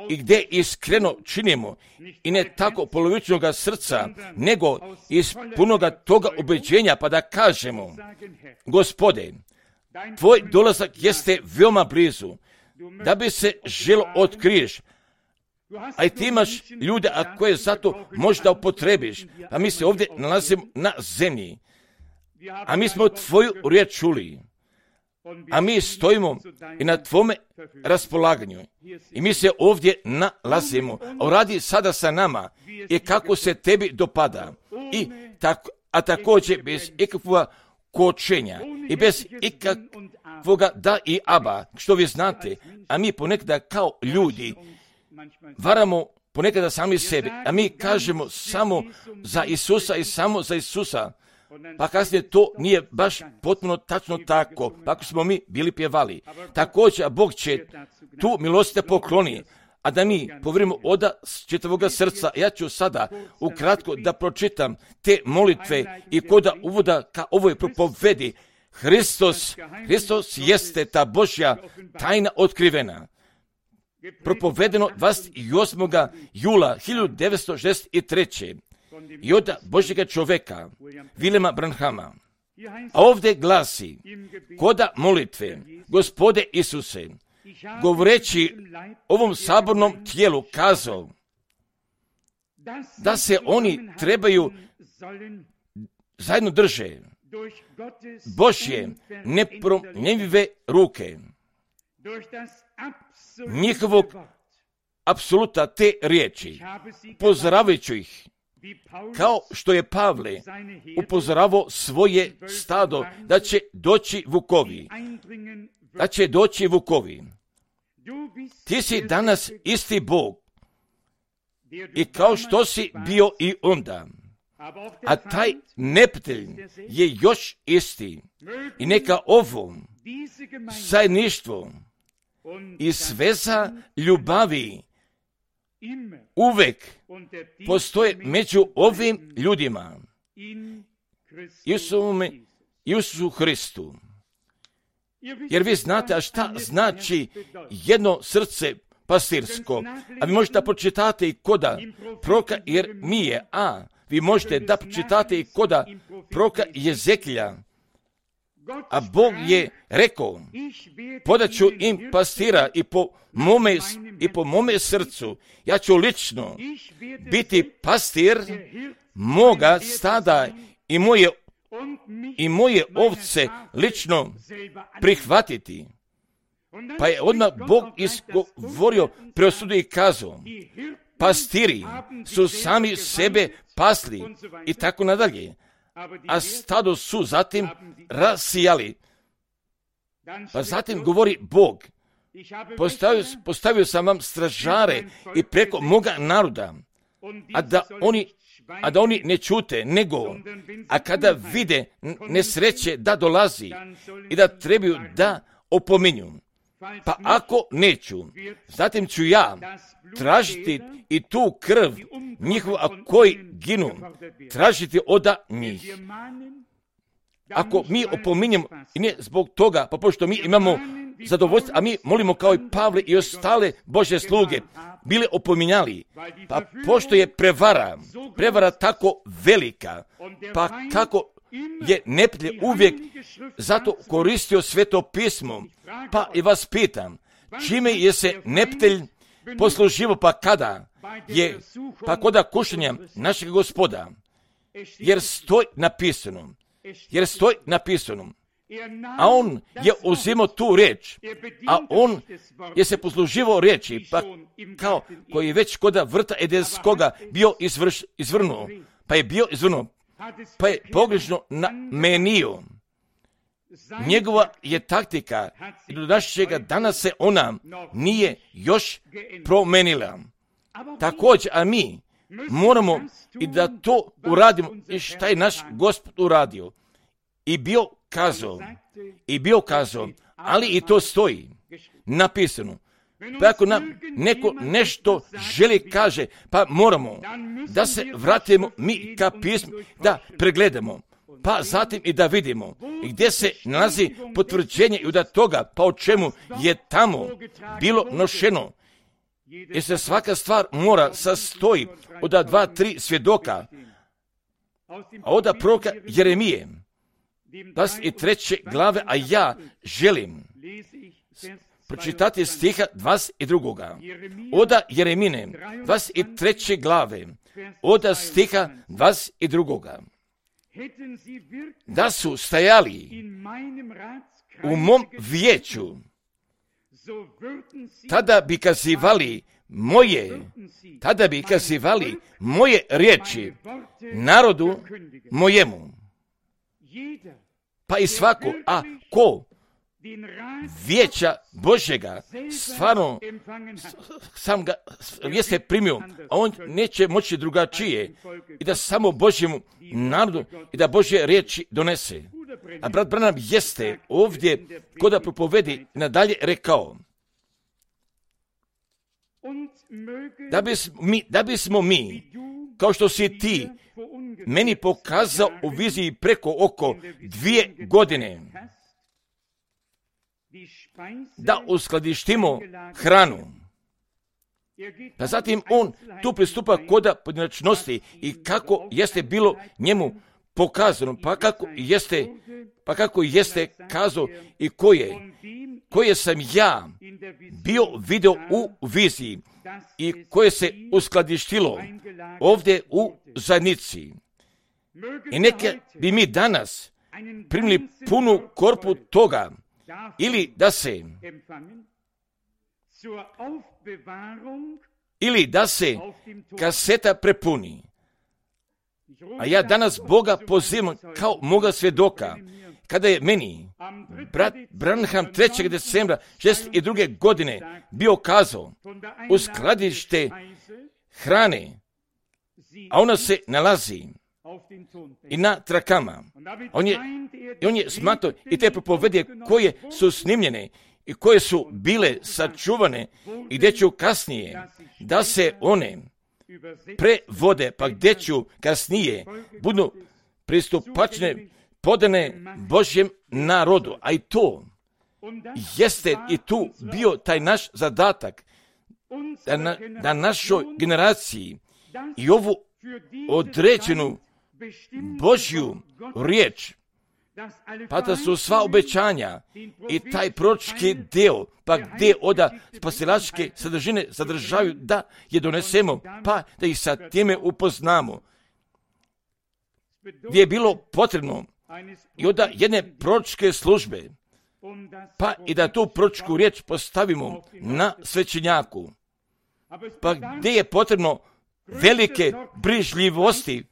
i gdje iskreno činimo i ne tako polovičnoga srca, nego iz punoga toga ubeđenja, pa da kažemo: Gospode, tvoj dolazak jeste veoma blizu, da bi se želo otkriješ, a i ti imaš ljude, a koje zato možda upotrebiš, a mi se ovdje nalazimo na zemlji, a mi smo tvoju riječ čuli, a mi stojimo i na tvome raspolaganju i mi se ovdje nalazimo, a radi sada sa nama i kako se tebi dopada, i tako, a također bez ikakvog kočenja i bez ikakvoga da i aba, što vi znate, a mi ponekada kao ljudi varamo ponekada sami sebe, a mi kažemo samo za Isusa i samo za Isusa, pa kasnije to nije baš potpuno tačno tako, pa ako smo mi bili pjevali. Također, Bog će tu milost da pokloni, a da mi povjerimo od čitavoga srca. Ja ću sada ukratko da pročitam te molitve i koda uvoda ka ovoj propovedi. Hristos, Hristos jeste ta Božja tajna otkrivena. Propovedeno dvadeset osmog jula hiljadu devetsto šezdeset treće. i od Božjega čoveka, Williama Branhama. A ovdje glasi, koda molitve, Gospode Isuse, govoreći ovom sabornom tijelu kazao da se oni trebaju zajedno drže Božje nepromjenjive ruke, njihovog apsoluta te riječi, pozdravajući ih kao što je Pavle upozoravao svoje stado da će doći vukovi, da će doći vukovi. Ti si danas isti Bog i kao što si bio i onda, a taj neprijatelj je još isti. I neka ovo zajedništvo i sveza ljubavi uvek postoje među ovim ljudima, Isusu Hristu. Jer vi znate, a šta znači jedno srce pastirsko? A vi možete da pročitate i koda proroka Jeremije, a vi možete da pročitate i koda proroka Jezekilja. A Bog je rekao, podaću im pastira i po mome, i po mome srcu. Ja ću lično biti pastir moga stada i moje, i moje ovce lično prihvatiti. Pa je odmah Bog izgovorio, preosudio i kazao, pastiri su sami sebe pasli i tako nadalje. A stado su zatim rasijali. Pa zatim govori Bog, postavio, postavio sam vam stražare i preko moga naroda, a da oni, a da oni ne čute, nego, a kada vide nesreće da dolazi i da trebaju da opominju, pa ako neću, zatim ću ja tražiti i tu krv njihovu, a koji ginu, tražiti oda njih. Ako mi opominjemo, i ne zbog toga, pa pošto mi imamo zadovoljstvo, a mi molimo kao i Pavle i ostale Božje sluge, bile opominjali, pa pošto je prevara, prevara tako velika, pa kako je neprijatelj uvijek zato koristio Sveto pismo, pa i vas pitam, čime je se neprijatelj posluživo, pa kada je, pa koda kušanja našeg Gospoda, jer stoji napisano, jer stoji napisano, a on je uzimao tu riječ, a on je se posluživao riječi, pa kao koji je već koda vrta Edenskoga bio izvrš, izvrnuo, pa je bio izvrnuo, pa je pogrešno namenio. Njegova je taktika i do našega dana se ona nije još promenila. Također, a mi moramo i da to uradimo i šta je naš Gospod uradio. I bio kazao, i bio kazao, ali i to stoji napisano. Pa ako nam neko nešto želi kaže, pa moramo da se vratimo mi ka pismu, da pregledamo, pa zatim i da vidimo gdje se nalazi potvrđenje i od toga, pa o čemu je tamo bilo nošeno. Jer se svaka stvar mora sastoji od dva, tri svjedoka, a od proroka Jeremije, dvadeset treće glave, a ja želim pročitati stiha dvadeset drugoga Oda Jeremine, dvadeset treće glave, oda stiha dvadeset drugoga Da su stajali u mom vijeću, tada bi kazivali moje, tada bi kazivali moje riječi narodu mojemu. Pa i svako, a ko vijeća Božjega stvarno sam ga jeste primio, a on neće moći drugačije i da samo Božjemu narodu i da Božje riječi donese. A brat Branham jeste ovdje koda propovedi nadalje rekao da bismo mi, da bismo mi kao što si ti meni pokazao u viziji preko oko dvije godine da uskladištimo hranu. Pa zatim on tu pristupa koda pojedinačnosti i kako jeste bilo njemu pokazano, pa kako jeste, pa kako jeste kazao i koje, koje sam ja bio video u viziji i koje se uskladištilo ovdje u zajednici. I neke bi mi danas primili punu korpu toga, ili da se ili da se kaseta prepuni, A ja danas Boga pozivam kao moga svjedoka. Kada je meni brat Branham trećeg decembra šezdeset druge godine bio kazao u skladište hrane, a ona se nalazi i na trakama. On je, on je smatrao i te propovedije koje su snimljene i koje su bile sačuvane i gdje ću kasnije da se one prevode, pa gdje ću kasnije budu pristupačne, podane Božjem narodu. A i to jeste i tu bio taj naš zadatak da, na, da našoj generaciji i ovu određenu Božju riječ, pa da su sva obećanja i taj proročki dio, pa gdje oda spasilačke sadržine sadržaju, da je donesemo, pa da ih sa time upoznamo. Gdje je bilo potrebno i onda jedne proročke službe, pa i da tu proročku riječ postavimo na svećenjaku, pa gdje je potrebno velike brižljivosti,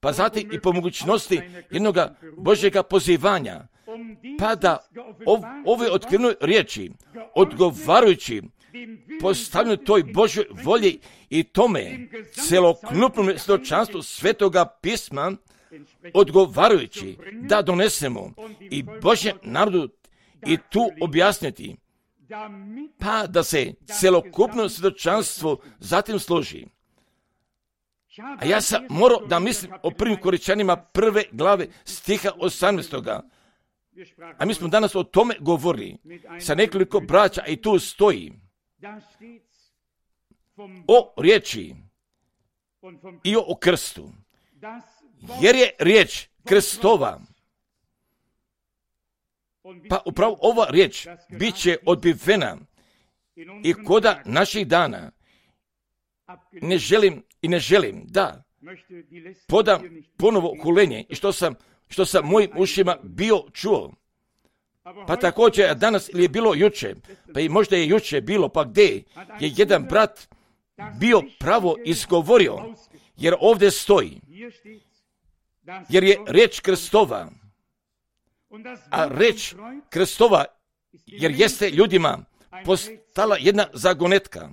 pa zatim i po mogućnosti jednog Božjega pozivanja, pa da ov, ove otkrivene riječi, odgovarajući postavljaju toj Božjoj volji i tome celokupnom svjedočanstvu Svetoga pisma, odgovarajući da donesemo i Božjem narodu i tu objasniti, pa da se celokupno svjedočanstvo zatim složi. A ja sam morao da mislim o prvim Koričanima prve glave stiha osamnaestog. A mi smo danas o tome govorili sa nekoliko braća i tu stoji o riječi i o krstu. Jer je riječ krstova, pa upravo ova riječ bit će odbivena i koda naših dana. Ne želim i ne želim da podam ponovo hulenje i što sam, što sam mojim ušima bio čuo. Pa također danas ili je bilo juče, pa i možda je juče bilo, pa gdje je jedan brat bio pravo izgovorio, jer ovdje stoji, jer je riječ krstova, a riječ krstova, jer jeste ljudima postala jedna zagonetka,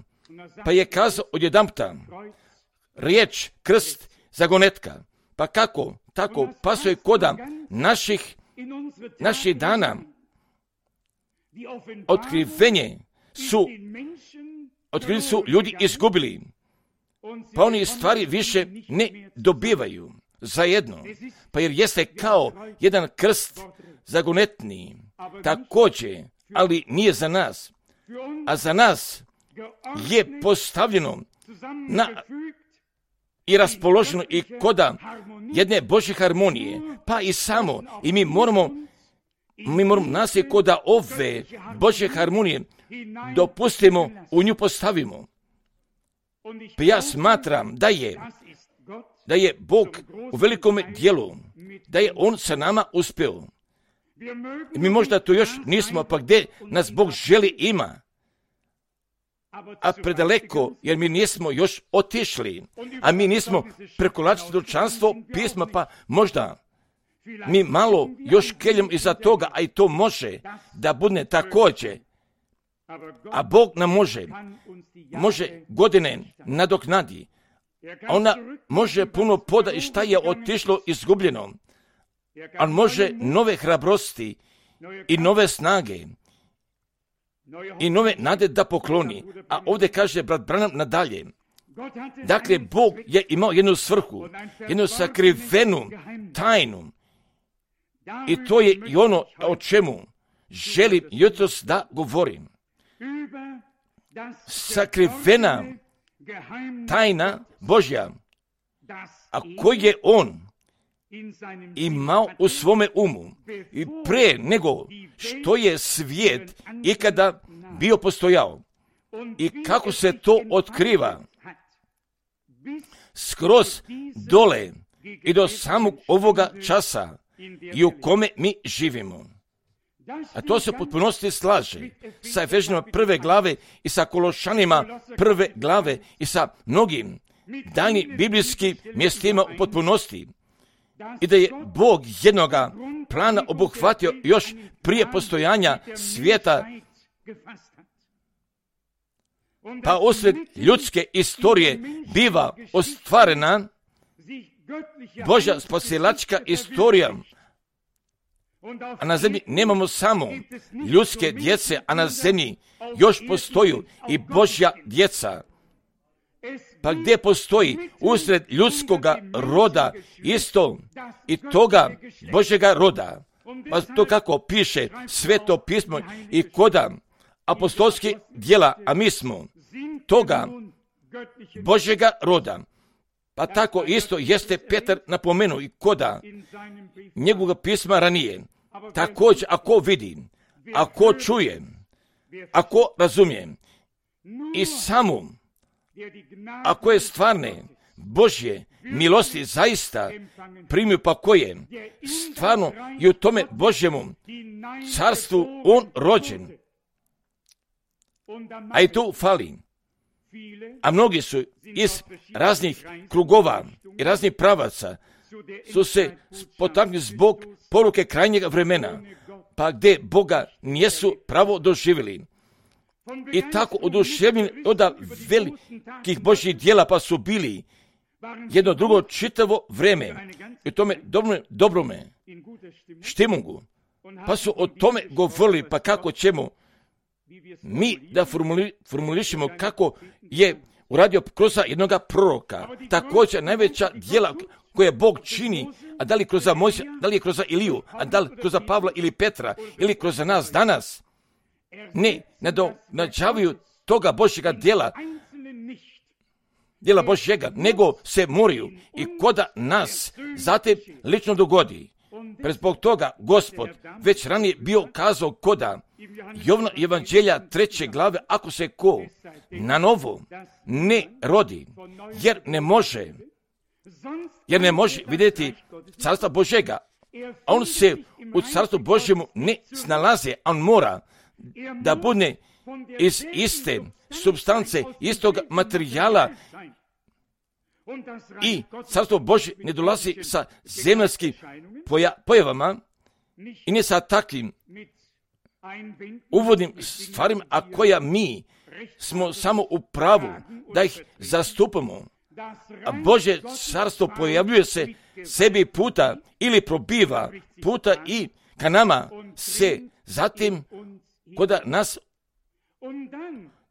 pa je kazao odjedanputa, riječ krst zagonetka. Pa kako? Tako pasuje koda naših, naših dana. Otkrivenje su, otkriveni su ljudi izgubili, pa oni stvari više ne dobivaju zajedno. Pa jer jeste kao jedan krst zagonetni, također, ali nije za nas. A za nas je postavljeno na i raspoloženo i koda jedne Božje harmonije, pa i samo, i mi moramo, mi moramo nas je koda ove Božje harmonije dopustimo, u nju postavimo. Pa ja smatram da je, da je Bog u velikom dijelu, da je On sa nama uspio. I mi možda to još nismo, pa gdje nas Bog želi ima, a predaleko, jer mi nismo još otišli, a mi nismo prekolačili svjedočanstvo pisma, pa možda mi malo još keljom iza toga, a i to može da bude također. A Bog nam može, može godine nadoknadi, a ona može puno poda i šta je otišlo izgubljeno, ali može nove hrabrosti i nove snage i nove nade da pokloni. A ovdje kaže brat Branham nadalje. Dakle, Bog je imao jednu svrhu, jednu sakrivenu tajnu. I to je i ono o čemu želim jutros da govorim. Sakrivena tajna Božja, a koji je On imao u svome umu i pre nego što je svijet ikada bio postojao. I kako se to otkriva skroz dole i do samog ovoga časa i u kome mi živimo. A to se u potpunosti slaže sa Efežanima prve glave i sa Kološanima prve glave i sa mnogim daljnim biblijskim mjestima u potpunosti i da je Bog jednoga plana obuhvatio još prije postojanja svijeta, pa usred ljudske istorije biva ostvarena Božja spasilačka istorija. A na zemlji nemamo samo ljudske djece, a na zemlji još postoji i Božja djeca. Pa gdje postoji usred ljudskoga roda isto i toga Božjega roda, pa to kako piše Sveto pismo i koda apostolskih djela, a mi smo toga Božjega roda. Pa tako isto jeste Petar napomenuo i koda njegovog pisma ranije. Također, ako vidi, ako čuje, ako razumije i samo ako je stvarne Božje milosti zaista primio, pa koje stvarno i u tome Božjemu carstvu on rođen. A i tu fali. A mnogi su iz raznih krugova i raznih pravaca su se potaknuli zbog poruke krajnjega vremena, pa gdje Boga nijesu pravo doživjeli. I tako oduševljeni od velikih Božjih djela, pa su bili jedno drugo čitavo vreme i tome dobrome, dobrome štimungu, pa su o tome govorili, pa kako ćemo mi da formuli, formulišemo kako je uradio kroz jednog proroka. Također najveća djela koje Bog čini, a da li kroz Mojsija, da li je kroz Iliju, a da li kroz Pavla ili Petra, ili kroz nas danas, ne nadonađavaju toga Božjega djela, djela Božjega, nego se moraju i koda nas zatim lično dogodi. Pre zbog toga Gospod već ranije bio kazao koda Jovna evanđelja treće glave, ako se ko na novo ne rodi, jer ne može, jer ne može vidjeti carstva Božjega, a on se u carstvu Božjemu ne snalazi, on mora da bude iz iste supstance, istog materijala, i carstvo Božje ne dolazi sa zemaljskim poja, pojavama i ne sa takvim uvodnim stvarima, a koja mi smo samo u pravu da ih zastupamo. A Božje carstvo pojavljuje se sebi puta ili probiva puta i ka nama se zatim koda nas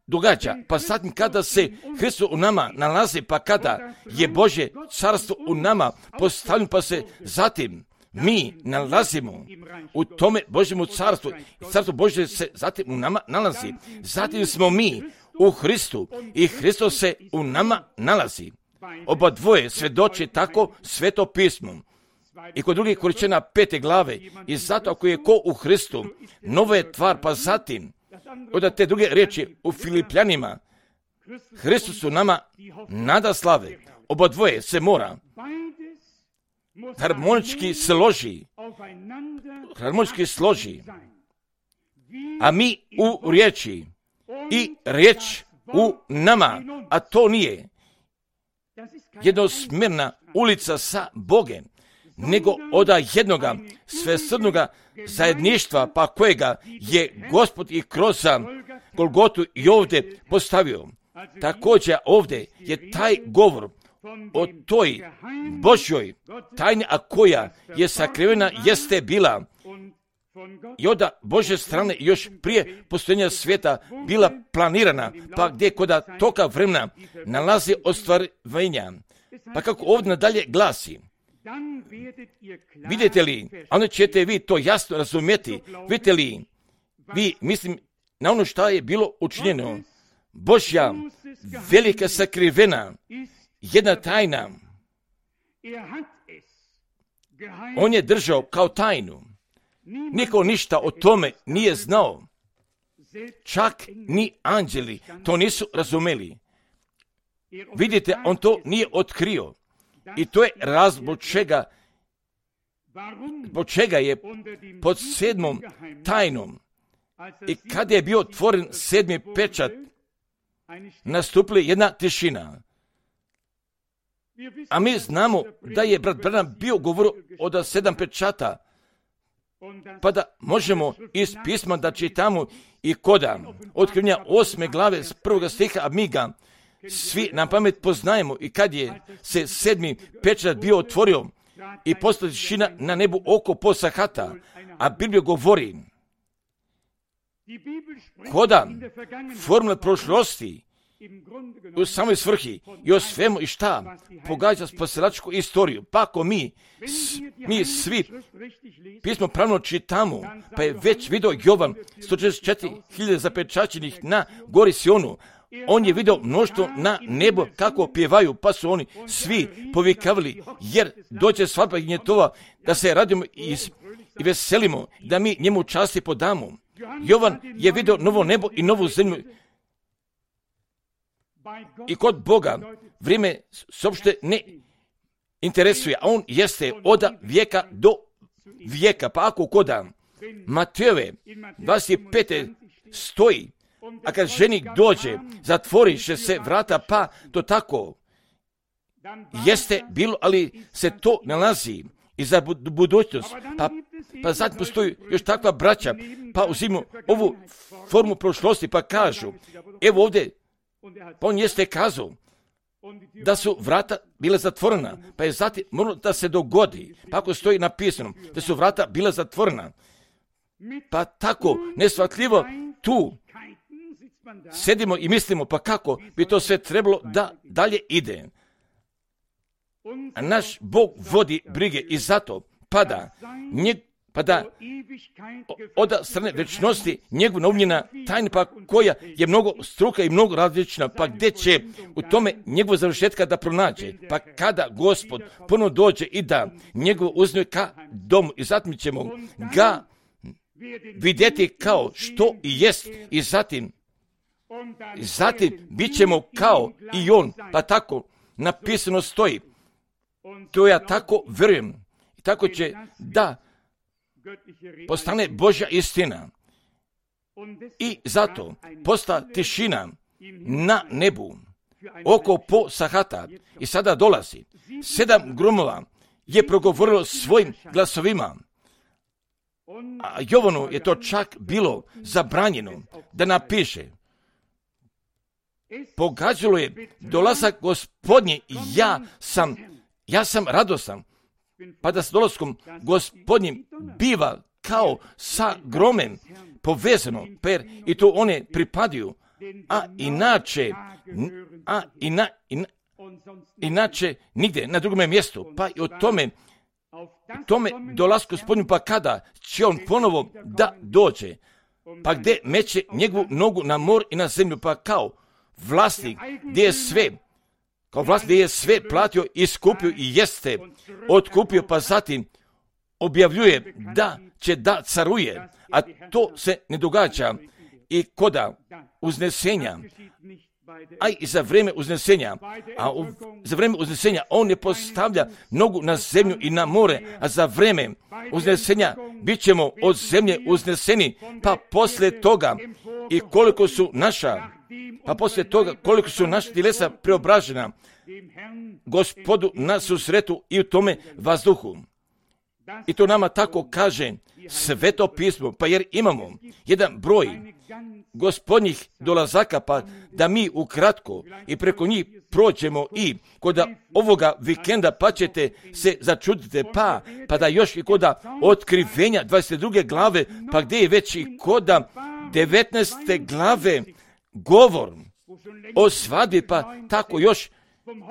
događa. Pa zatim kada se Hristos u nama nalazi, pa kada je Božje carstvo u nama postavljeno, pa se zatim mi nalazimo u tome Božjemu carstvu. Carstvo Božje se zatim u nama nalazi. Zatim smo mi u Hristu i Hristos se u nama nalazi. Oba dvoje svjedoče tako Sveto pismo. I kod drugih Korinćana pete glave, i zato ako je ko u Hristu, nova je tvar, pa zatim od te druge riječi u Filipljanima, Hristos u nama nada slave. Oba dvoje se mora harmonički složi, harmonički složi, a mi u riječi i riječ u nama, a to nije jednosmjerna ulica sa Bogem, nego od jednoga svesrdnoga zajedništva, pa kojega je Gospod i kroz Golgotu i ovdje postavio. Također ovdje je taj govor o toj Božjoj tajni, a koja je sakrivena, jeste bila i od Božje strane još prije postojanja svijeta bila planirana, pa gdje koda toga vremena nalazi ostvarenja. Pa kako ovdje nadalje glasi, vidite li, a onda ćete vi to jasno razumjeti, vidite li, vi mislim na ono što je bilo učinjeno, Božja velika sakrivena, jedna tajna, on je držao kao tajnu, niko ništa o tome nije znao, čak ni anđeli to nisu razumeli. Vidite, on to nije otkrio. I to je razlog zbog čega, zbog čega je pod sedmom tajnom i kad je bio otvoren sedmi pečat, nastupila jedna tišina. A mi znamo da je brat Branham bio govorio od sedam pečata, pa da možemo iz pisma da čitamo i koda otkrivenja osme glave s prvoga stiha, a mi ga svi na pamet poznajemo. I kad je se sedmi pečat bio otvorio i postala tišina na nebu oko po Sahata, a Biblija govori koda formule prošlosti u samoj svrhi i o svemu i šta pogađa spasilačku istoriju. Pa ako mi, mi svi pismo pravno čitamo, pa je već video Jovan sto četrdeset četiri hiljade zapečaćenih na gori Sionu, on je video mnoštvo na nebo kako pjevaju, pa su oni svi povikavali, jer dođe svadba gnjetova, da se radimo i, i veselimo, da mi njemu časti podamo. Jovan je video novo nebo i novu zemlju. I kod Boga vrijeme se uopšte ne interesuje, a on jeste od vijeka do vijeka. Pa ako koda Matejove dvadeset pete stoji, a kad ženik dođe, zatvoriše se vrata, pa to tako jeste bilo, ali se to nalazi i za budućnost. Pa, pa zatim postoji još takva braća, pa uzimamo ovu formu prošlosti, pa kažu, evo ovdje, pa on jeste kazao da su vrata bila zatvorena, pa je zatim moralo da se dogodi, pa ako stoji napisano da su vrata bila zatvorena, pa tako nesvatljivo tu sedimo i mislimo, pa kako bi to sve trebalo da dalje ide. A naš Bog vodi brige i zato pada, njeg, pa da od strane večnosti njegova naumljena tajna, pa koja je mnogo struka i mnogo različna, pa gdje će u tome njegova završetka da pronađe, pa kada Gospod ponovno dođe i da njegovo uzme ka domu i zatim ćemo ga vidjeti kao što i jest i zatim zatim bit ćemo kao i on, pa tako napisano stoji. To ja tako vjerujem i tako će da postane Božja istina. I zato posta tišina na nebu oko po Sahata i sada dolazi. Sedam gromova je progovorilo svojim glasovima, a Jovanu je to čak bilo zabranjeno da napiše. Pogađalo je dolazak Gospodnji i ja sam, ja sam radosan, pa da s dolaskom Gospodnjim biva kao sa gromem povezano, per i to one pripadaju, a inače, a ina, ina, inače nigdje na drugome mjestu, pa i o tome, tome dolasku Gospodnju, pa kada će on ponovo da dođe, pa gdje meće njegovu nogu na mor i na zemlju, pa kao vlasnik gdje je sve, kao vlasnik gdje je sve platio i skupio i jeste otkupio, pa zatim objavljuje da će da caruje, a to se ne događa i koda uznesenja, a i za vrijeme uznesenja, a u, za vrijeme uznesenja on ne postavlja nogu na zemlju i na more, a za vrijeme uznesenja bit ćemo od zemlje uzneseni, pa poslije toga i koliko su naša, pa poslije toga koliko su naša tjelesa preobražena Gospodu na susretu i u tome vazduhu. I to nama tako kaže Sveto pismo, pa jer imamo jedan broj Gospodnjih dolazaka, pa da mi ukratko i preko njih prođemo i kod ovoga vikenda, pa ćete se začuditi, pa, pa da još i kod otkrivenja dvadeset druge glave, pa gdje je već i kod devetnaeste glave govor o svadbi, pa tako još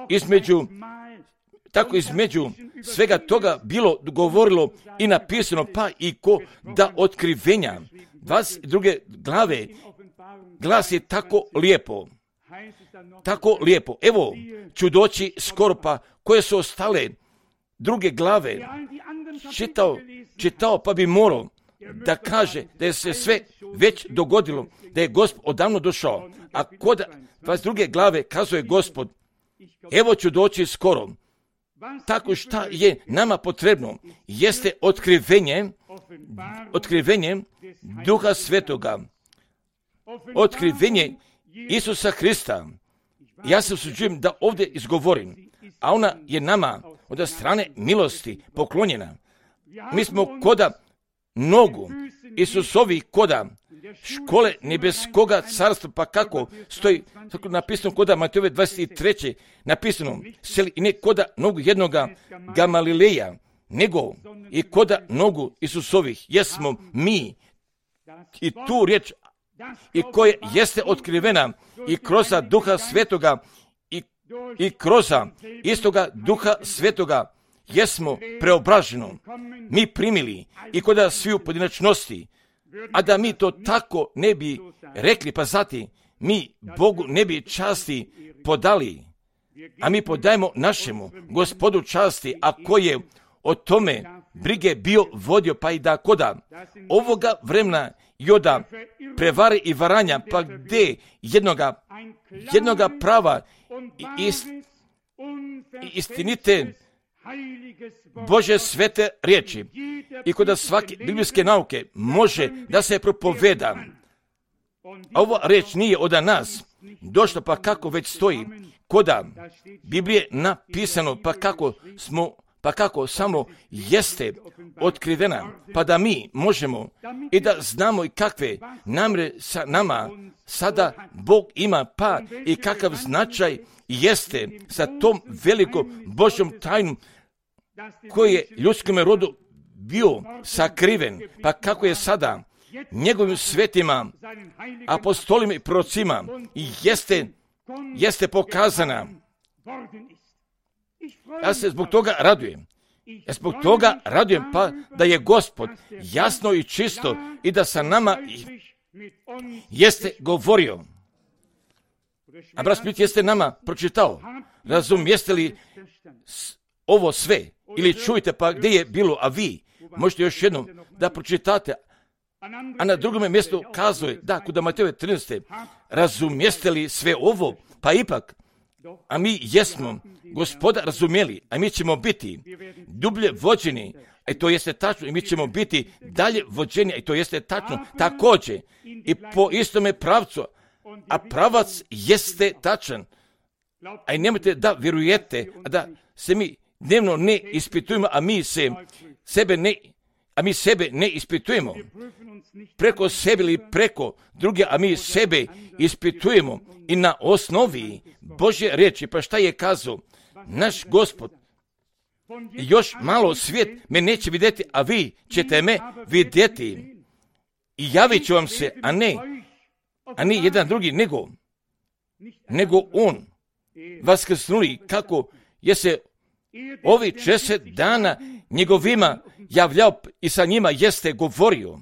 između tako između svega toga bilo govorilo i napisano, pa i ko da otkrivenja dvadeset druge glave glasi tako lijepo, tako lijepo. Evo ću doći skoro, pa koje su ostale druge glave čitao, čitao pa bi morao da kaže da je se sve već dogodilo, da je Gospod odavno došao, a kod dvadeset druge glave kazuje Gospod, evo ću doći skoro. Tako šta je nama potrebno jeste otkrivenje, otkrivenje Duha Svetoga, otkrivenje Isusa Hrista. Ja se usuđujem da ovdje izgovorim, a ona je nama od strane milosti poklonjena. Mi smo koda nogu Isusovi, koda škole nebeskoga carstva, pa kako stoji tako napisano koda Matejove dvadeset treće napisano, seli i ne koda nogu jednoga Gamalileja, nego i koda nogu Isusovih, jesmo mi. I tu riječ i koja jeste otkrivena i kroz Duha Svetoga i, i kroz istoga Duha Svetoga jesmo preobraženo mi primili i koda svi u pojedinačnosti, a da mi to tako ne bi rekli, pa zati mi Bogu ne bi časti podali, a mi podajemo našemu Gospodu časti, a ko je o tome brige bio vodio, pa i da koda ovoga vremena joda prevare i varanja, pa gdje jednoga, jednoga prava i ist, istinite Bože svete riječi i kod svake biblijske nauke može da se propoveda. Ova riječ nije od nas došla, pa kako već stoji koda Biblije napisano, pa kako smo pa kako samo jeste otkrivena, pa da mi možemo i da znamo i kakve namjere sa nama sada Bog ima, pa i kakav značaj jeste sa tom velikom Božjom tajnom koji je ljudskom rodu bio sakriven, pa kako je sada njegovim svetima, apostolima i prorocima jeste, jeste pokazana. Ja se zbog toga radujem. Ja zbog toga radujem, pa da je Gospod jasno i čisto i da sa nama jeste govorio. A brat Smith jeste nama pročitao. Razumijeste li ovo sve? Ili čujte, pa gdje je bilo, a vi možete još jednom da pročitate. A na drugom mjestu kazuje, da, kod Matejove trinaeste, razumijeste li sve ovo? Pa ipak, a mi jesmo Gospoda razumjeli, a mi ćemo biti dublje vođeni, a to jeste tačno, i mi ćemo biti dalje vođeni, a to jeste tačno, također, i po istome pravcu, a pravac jeste tačan. A i nemojte da vjerujete, a da se mi dnevno ne ispitujemo, a mi se sebe ne, a mi sebe ne ispitujemo preko sebe ili preko druge, a mi sebe ispitujemo i na osnovi Božje riječi. Pa šta je kazao naš Gospod? Još malo svijet me neće vidjeti, a vi ćete me vidjeti. I javit ću vam se, a ne, a ne jedan drugi, nego, nego on vaskrsnuli, kako je se ovi šezdeset dana njegovima javljao i sa njima jeste govorio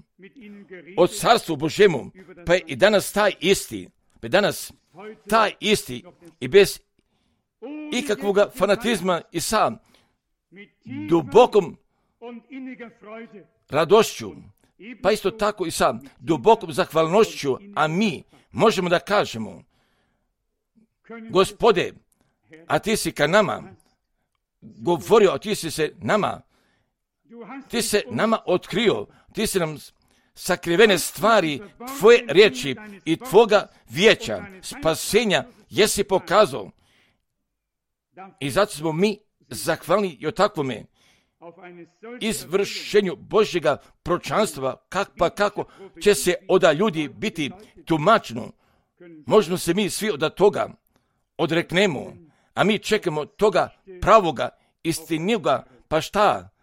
o carstvu Božjemu, pa je i danas taj isti, pa danas taj isti i bez ikakvog fanatizma i sa dubokom radošću, pa isto tako i sa dubokom zahvalnošću, a mi možemo da kažemo, Gospode, a ti si ka nama govorio, a ti si se nama, ti se nama otkrio, ti si nam sakrivene stvari tvoje riječi i tvoga vijeća, spasenja jesi pokazao. I zato smo mi zahvalni i o takvome izvršenju Božjega proročanstva, kak, pa kako će se oda ljudi biti tumačeno. Možemo se mi svi od toga odreknemo, a mi čekamo toga pravoga, istiniga, pa šta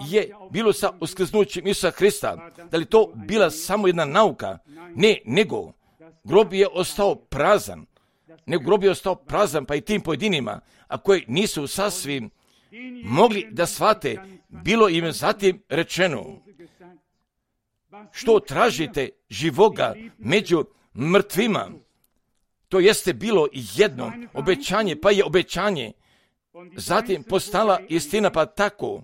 je bilo sa uskrsnućem Isusa Hrista? Da li to bila samo jedna nauka? Ne, nego grob je ostao prazan. Nego grob je ostao prazan, pa i tim pojedinima, a koji nisu sasvim mogli da shvate, bilo im zatim rečeno, što tražite živoga među mrtvima? To jeste bilo jedno obećanje, pa je obećanje zatim postala istina, pa tako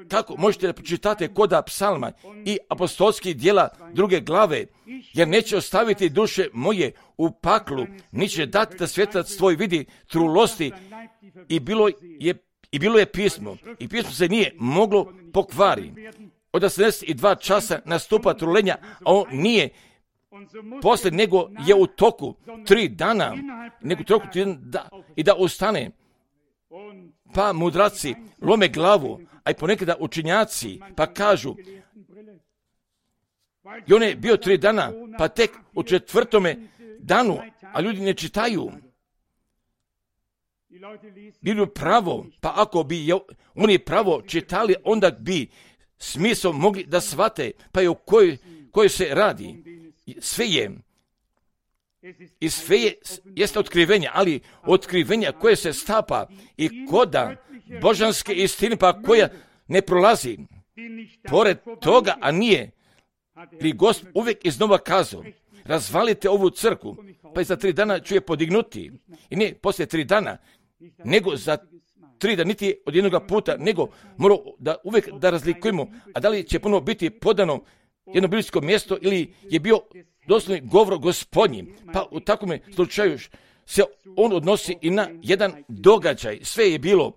kako možete da pročitate koda psalma i apostolskih dijela druge glave, jer neće ostaviti duše moje u paklu, niće dati da svjetac tvoj vidi trulosti. I bilo je, i bilo je pismo, i pismo se nije moglo pokvari. Od osamdeset dva časa nastupa trulenja, a on nije poslije nego je u toku tri dana, nego toku tri dana da, i da ustane. Pa mudraci lome glavu, a i ponekada učenjaci, pa kažu, i on je bio tri dana, pa tek u četvrtome danu, a ljudi ne čitaju. Bili pravo, pa ako bi oni pravo čitali, onda bi smisao mogli da shvate, pa i o kojoj, kojoj se radi. Sve je, i sve je, jeste otkrivenje, ali otkrivenja koje se stapa i koda božanske istine, pa koja ne prolazi. Pored toga, a nije, li Gospod uvijek iznova kazao, razvalite ovu crkvu, pa i za tri dana ću je podignuti. I ne poslije tri dana, nego za tri dana, niti od jednoga puta, nego moramo da uvijek da razlikujemo, a da li će ponovo biti podano jedno biblijsko mjesto ili je bio doslovni govor Gospodnji. Pa u takvom slučaju se on odnosi i na jedan događaj. Sve je bilo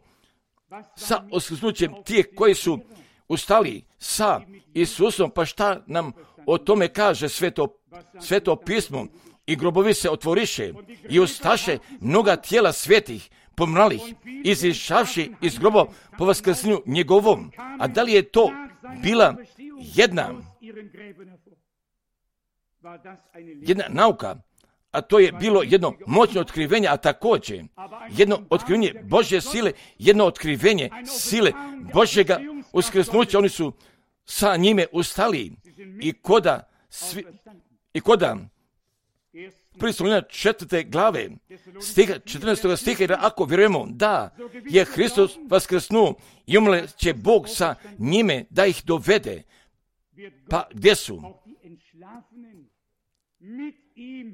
sa oskrsnućem tih koji su ustali sa Isusom, pa šta nam o tome kaže sveto, sveto pismo? I grobovi se otvoriše i ustaše mnoga tijela svetih, pomralih, izišavši iz groba po vaskrsenju njegovom. A da li je to bila jedna, jedna nauka, a to je bilo jedno moćno otkrivenje, a također jedno otkrivenje Božje sile, jedno otkrivenje sile Božjega uskrsnuća. Oni su sa njime ustali i koda, svi, i koda prvi Solunjana četvrte glave, stiha, četrnaestog stiha, jer ako vjerujemo da je Hristos vaskrsnuo i umre će Bog sa njime da ih dovede. Pa gdje su?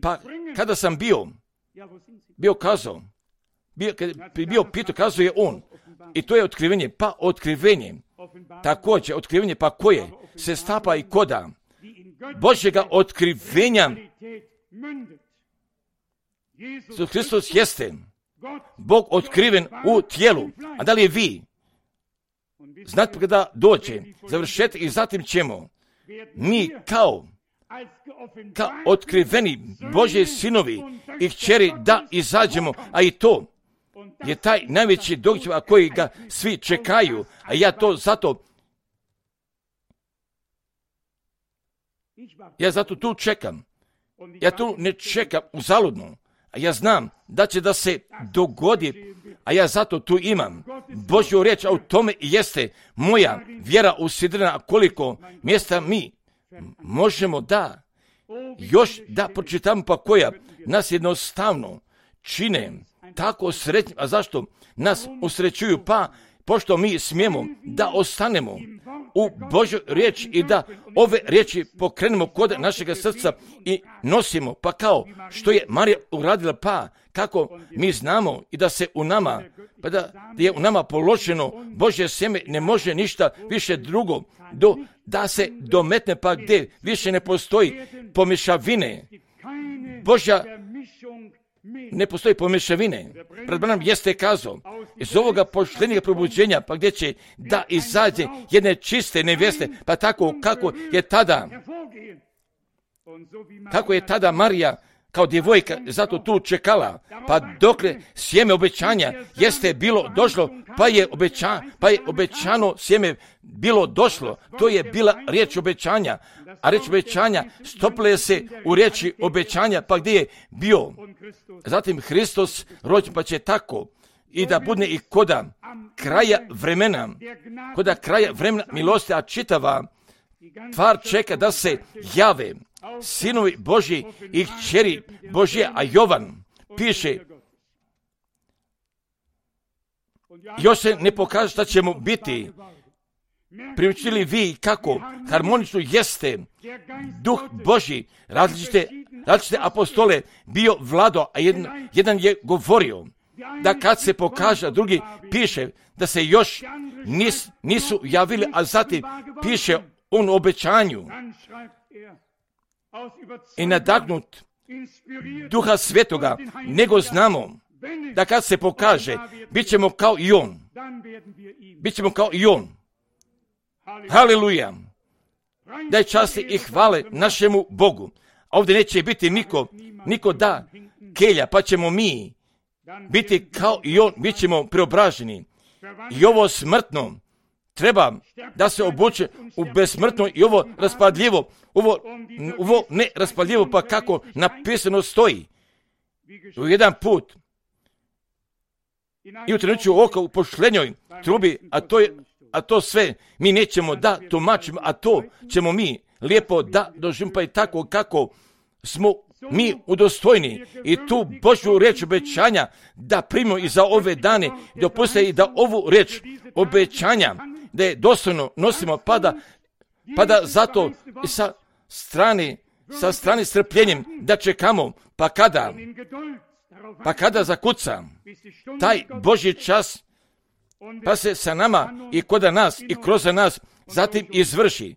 Pa kada sam bio, bio kazao, bio, kada bi bio pitao, kazao je on, i to je otkrivenje, pa otkrivenje, također otkrivenje, pa koje se stapa i koda Božjega otkrivenja. Isus Hristos jeste Bog otkriven u tijelu. A da li je vi? Znate kada dođe završetak i zatim ćemo mi kao kao otkriveni Božji sinovi i kćeri da izađemo, a i to je taj najveći događaj koji ga svi čekaju, a ja to zato ja zato tu čekam. Ja tu ne čekam uzaludno, a ja znam da će da se dogodi, a ja zato tu imam Božju riječ, a u tome i jeste moja vjera usidrena, koliko mjesta mi možemo da još da pročitamo, pa koja nas jednostavno čine tako sretnim. A zašto nas usrećuju? Pa pošto mi smijemo da ostanemo u Božoj riječi i da ove riječi pokrenemo kod našega srca i nosimo, pa kao što je Marija uradila, pa kako mi znamo i da se u nama, pa da je u nama položeno Božje sjeme, ne može ništa više drugo do, da se dometne, pa gdje više ne postoji pomješavine. Božja ne postoji pomješavine. Pred nam jeste kazao, iz ovoga poštenijeg probuđenja, pa gdje će da izađe jedne čiste nevjeste, pa tako kako je tada, kako je tada Marija kao djevojka zato tu čekala, pa dokle sjeme obećanja jeste bilo došlo, pa je, obeća, pa je obećano sjeme bilo došlo. To je bila riječ obećanja, a riječ obećanja stopile se u riječi obećanja, pa gdje je bio zatim Hristos rođen, pa će tako i da bude i koda kraja vremena, koda kraja vremena milosti, a čitava tvar čeka da se jave sinovi Božji i kćeri Božje, a Jovan piše, još se ne pokaže šta ćemo biti. Primijetili vi kako harmonično jeste Duh Božji, različite, različite apostole bio vlado, a jedan, jedan je govorio da kad se pokaže, drugi piše da se još nis, nisu javili, a zatim piše on u obećanju i nadagnut Duha Svetoga, nego znamo da kad se pokaže, bit ćemo kao i on. Bit ćemo kao i on. Haleluja. Daj časti i hvale našemu Bogu. ovdje neće biti niko, niko da kelja, pa ćemo mi biti kao i on, bit ćemo preobraženi. I ovo smrtno treba da se obuče u besmrtno i ovo raspadljivo, ovo, ovo ne raspadljivo, pa kako napisano stoji. U jedan put i u trenutku oka u pošlenjoj trubi, a to, je, a to sve mi nećemo da tumačimo, a to ćemo mi lijepo da doživimo, pa i tako kako smo mi udostojni i tu Božju riječ obećanja da primimo i za ove dane, dopuste i da ovu riječ obećanja da je dostojno nosimo, pa da, pa da zato i sa strane, sa strane strpljenjem da čekamo, pa kada, pa kada zakuca taj Božji čas, pa se sa nama i kod nas i kroz nas zatim izvrši.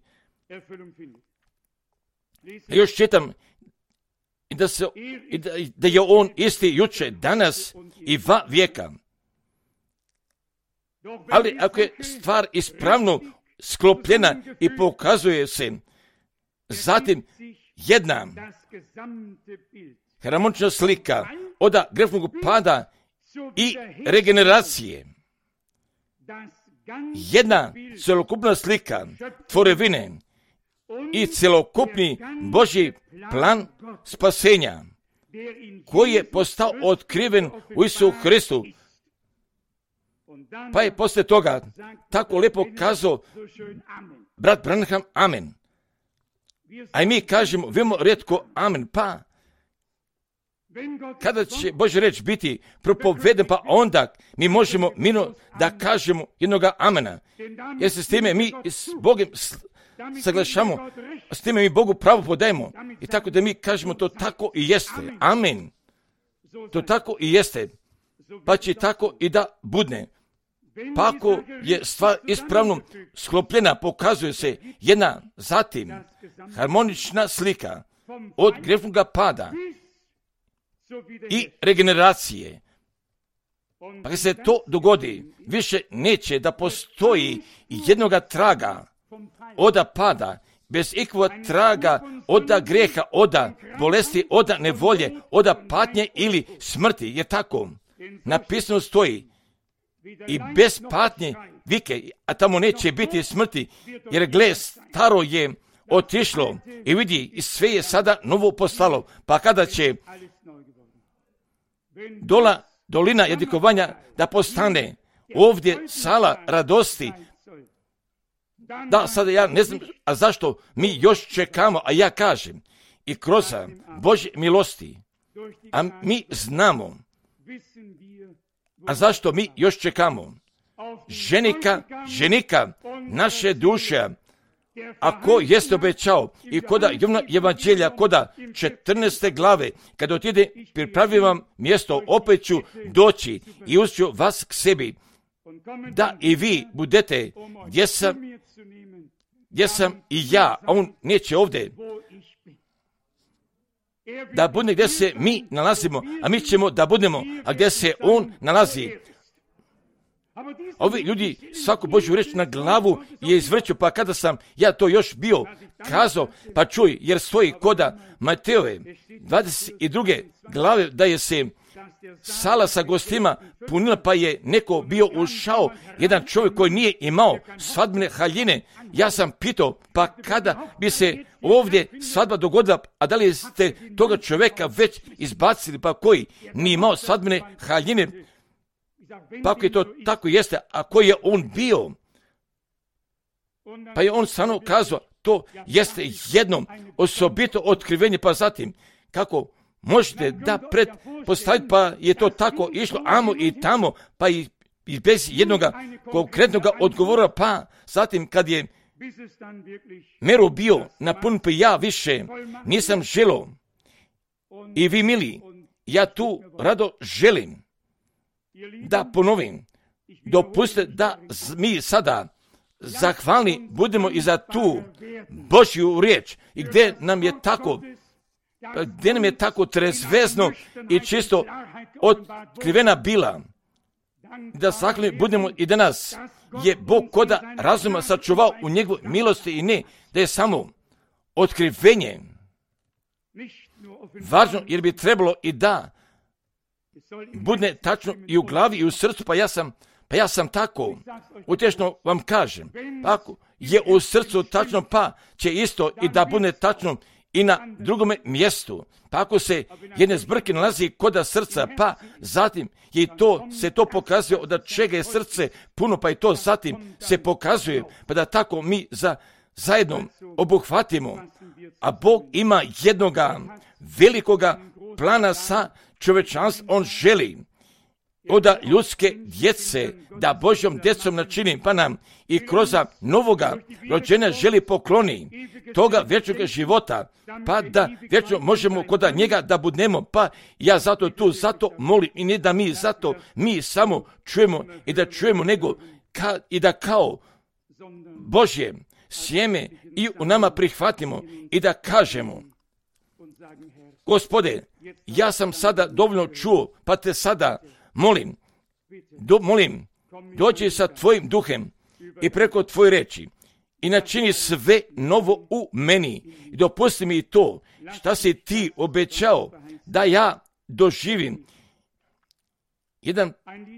Još čitam i da, se, i da, da je on isti juče, danas i va vijeka. Ali ako je stvar ispravno sklopljena i pokazuje se zatim jedna harmonična slika od grešnog pada i regeneracije, jedna celokupna slika tvorevine i celokupni Božji plan spasenja koji je postao otkriven u Isusu Hristu. Pa je poslije toga tako lijepo kazao brat Branham, amen. A i mi kažemo, vemo rijetko amen, pa kada će Božja riječ biti propoveden, pa onda mi možemo mino da kažemo jednoga amena. Jer se s time mi s Bogom saglašamo, s time mi Bogu pravo podajemo. I tako da mi kažemo to tako i jeste. Amen. To tako i jeste. Pa će tako i da budne. Pa ako je stvar ispravno sklopljena, pokazuje se jedna zatim harmonična slika od grešnog pada i regeneracije. Pa kad se to dogodi, više neće da postoji jednoga traga oda pada, bez ikakvog traga oda greha, oda bolesti, oda nevolje, oda patnje ili smrti. Je tako? Napisano stoji i bez patnje vike, a tamo neće biti smrti, jer gle, staro je otišlo i vidi, i sve je sada novo postalo. Pa kada će dola, dolina jadikovanja da postane ovdje sala radosti, da, sada ja ne znam, a zašto mi još čekamo, a ja kažem, i kroz Božje milosti, a mi znamo, a zašto mi još čekamo? Ženika, ženika, naše duše, a ko jeste obećao i koda Jovana evanđelja, koda četrnaeste glave, kad otide, pripravim vam mjesto, opet ću doći i uzet ću vas k sebi, da i vi budete gdje sam, gdje sam i ja, a on neće ovdje, da bude gdje se mi nalazimo, a mi ćemo da budemo, a gdje se on nalazi. Ovi ljudi svaku Božju reč na glavu je izvrću, pa kada sam ja to još bio kazao, pa čuj, jer stoji koda Mateove dvadeset druge glave da je se sala sa gostima punila, pa je neko bio ušao, jedan čovjek koji nije imao svadbene haljine. Ja sam pitao, pa kada bi se ovdje svadba dogodila, a da li ste toga čovjeka već izbacili, pa koji nije imao svadbene haljine? Pa ako je to tako jeste, a koji je on bio? Pa je on stvarno kazao, to jeste jedno osobito otkrivenje, pa zatim, kako možete da pretpostaviti, pa je to tako išlo amo i tamo, pa i, i bez jednog konkretnog odgovora, pa zatim kad je Mero bio napun, pa ja više nisam želio. I vi, mili, ja tu rado želim da ponovim, dopustite da mi sada zahvalni budemo i za tu Božju riječ, i gdje nam je tako, gdje nam je tako trezvezno i čisto otkrivena bila, da zahvalni budemo i danas je Bog koda razuma sačuvao u njegovoj milosti, i ne da je samo otkrivenje važno jer bi trebalo i da bude tačno i u glavi i u srcu, pa ja sam, pa ja sam tako, utješno vam kažem, ako je u srcu tačno, pa će isto i da bude tačno i na drugome mjestu. Pa ako se jedne zbrke nalazi koda srca, pa zatim je to, se to pokazuje od čega je srce puno, pa i to zatim se pokazuje, pa da tako mi za, zajedno obuhvatimo. A Bog ima jednoga velikoga plana sa čovječanstvom. On želi od ljudske djece da Božjom djecom načini, pa nam i kroz novoga rođenja želi pokloni toga vječnog života, pa da vječno možemo kod njega da budemo, pa ja zato tu, zato molim i ne da mi zato, mi samo čujemo i da čujemo, nego ka, i da kao Božje sjeme i u nama prihvatimo i da kažemo: Gospode, ja sam sada dovoljno čuo, pa te sada molim, do, molim, dođi sa tvojim duhem i preko tvoje reči i načini sve novo u meni i dopusti mi to šta si ti obećao da ja doživim. Jedan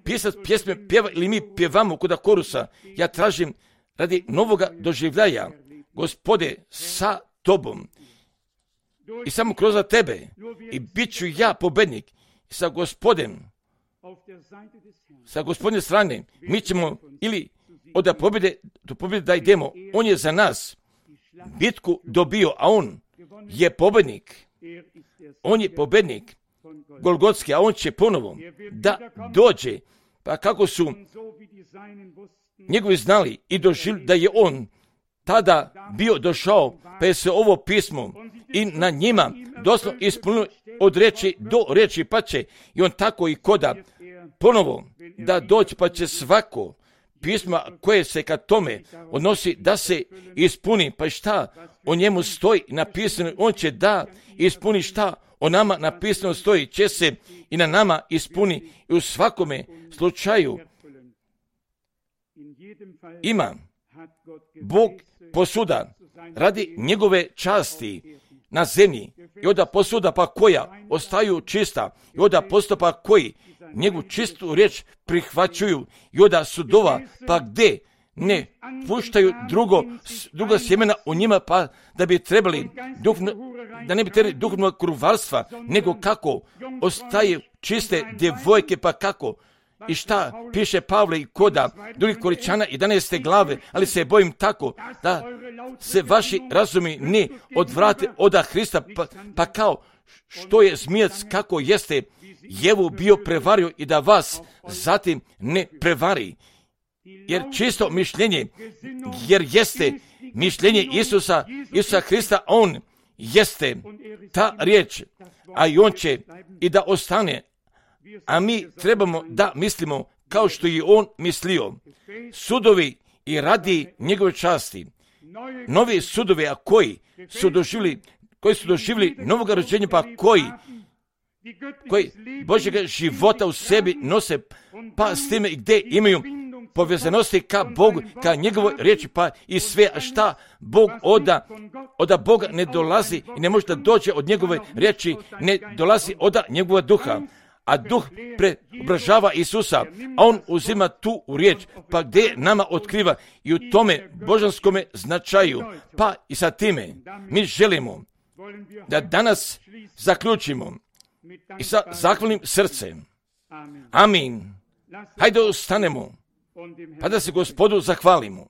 pisac pjesme pjeva ili mi pjevamo kod korusa, ja tražim radi novoga doživljaja, Gospode, sa tobom i samo kroz tebe i bit ću ja pobednik i sa Gospodem, sa Gospodine strane, mi ćemo ili od pobjede do pobjede da idemo. On je za nas bitku dobio, a on je pobjednik. On je pobjednik Golgotski, a on će ponovo da dođe. Pa kako su njegovi znali i doživjeli da je on tada bio došao, pa je se ovo pismo i na njima doslovno ispunilo od reči do reči, pa će i on tako i koda ponovo da doći, pa će svako pisma koje se ka tome odnosi da se ispuni, pa šta o njemu stoji napisano, on će da ispuni šta o nama napisano stoji, će se i na nama ispuni i u svakome slučaju ima Bog posuda radi njegove časti na zemlji i onda posuda pa koja ostaju čista i onda postupa koji njegovu čistu riječ prihvaćuju i onda sudova pa gdje ne puštaju drugo, druga sjemena u njima, pa da bi trebali duhovno, da ne bi trebali duhovnog kruvarstva, nego kako ostaju čiste djevojke, pa kako i šta piše Pavle i koda drugih Koričana jedanaeste glave, ali se bojim tako da se vaši razumi ne odvrate od Hrista, pa, pa kao što je zmijac kako jeste Jevu bio prevario i da vas zatim ne prevari. Jer čisto mišljenje, jer jeste mišljenje Isusa, Isusa Hrista, on jeste ta riječ, a i on će i da ostane, a mi trebamo da mislimo kao što je on mislio. Sudovi i radi njegove časti, novi sudovi, a koji su doživjeli, koji su doživjeli novoga rođenja, pa koji koji Božjega života u sebi nose, pa s time i gdje imaju povezanosti ka Bogu, ka njegovoj riječi, pa i sve, a šta Bog oda, oda Boga ne dolazi i ne može da dođe od njegove riječi, ne dolazi oda njegova duha, a duh preobražava Isusa, a on uzima tu u riječ, pa gdje nama otkriva i u tome božanskome značaju, pa i sa time mi želimo da danas zaključimo i sa zahvalnim srcem. Amin. Hajde ostanemo, pa da se Gospodu zahvalimo.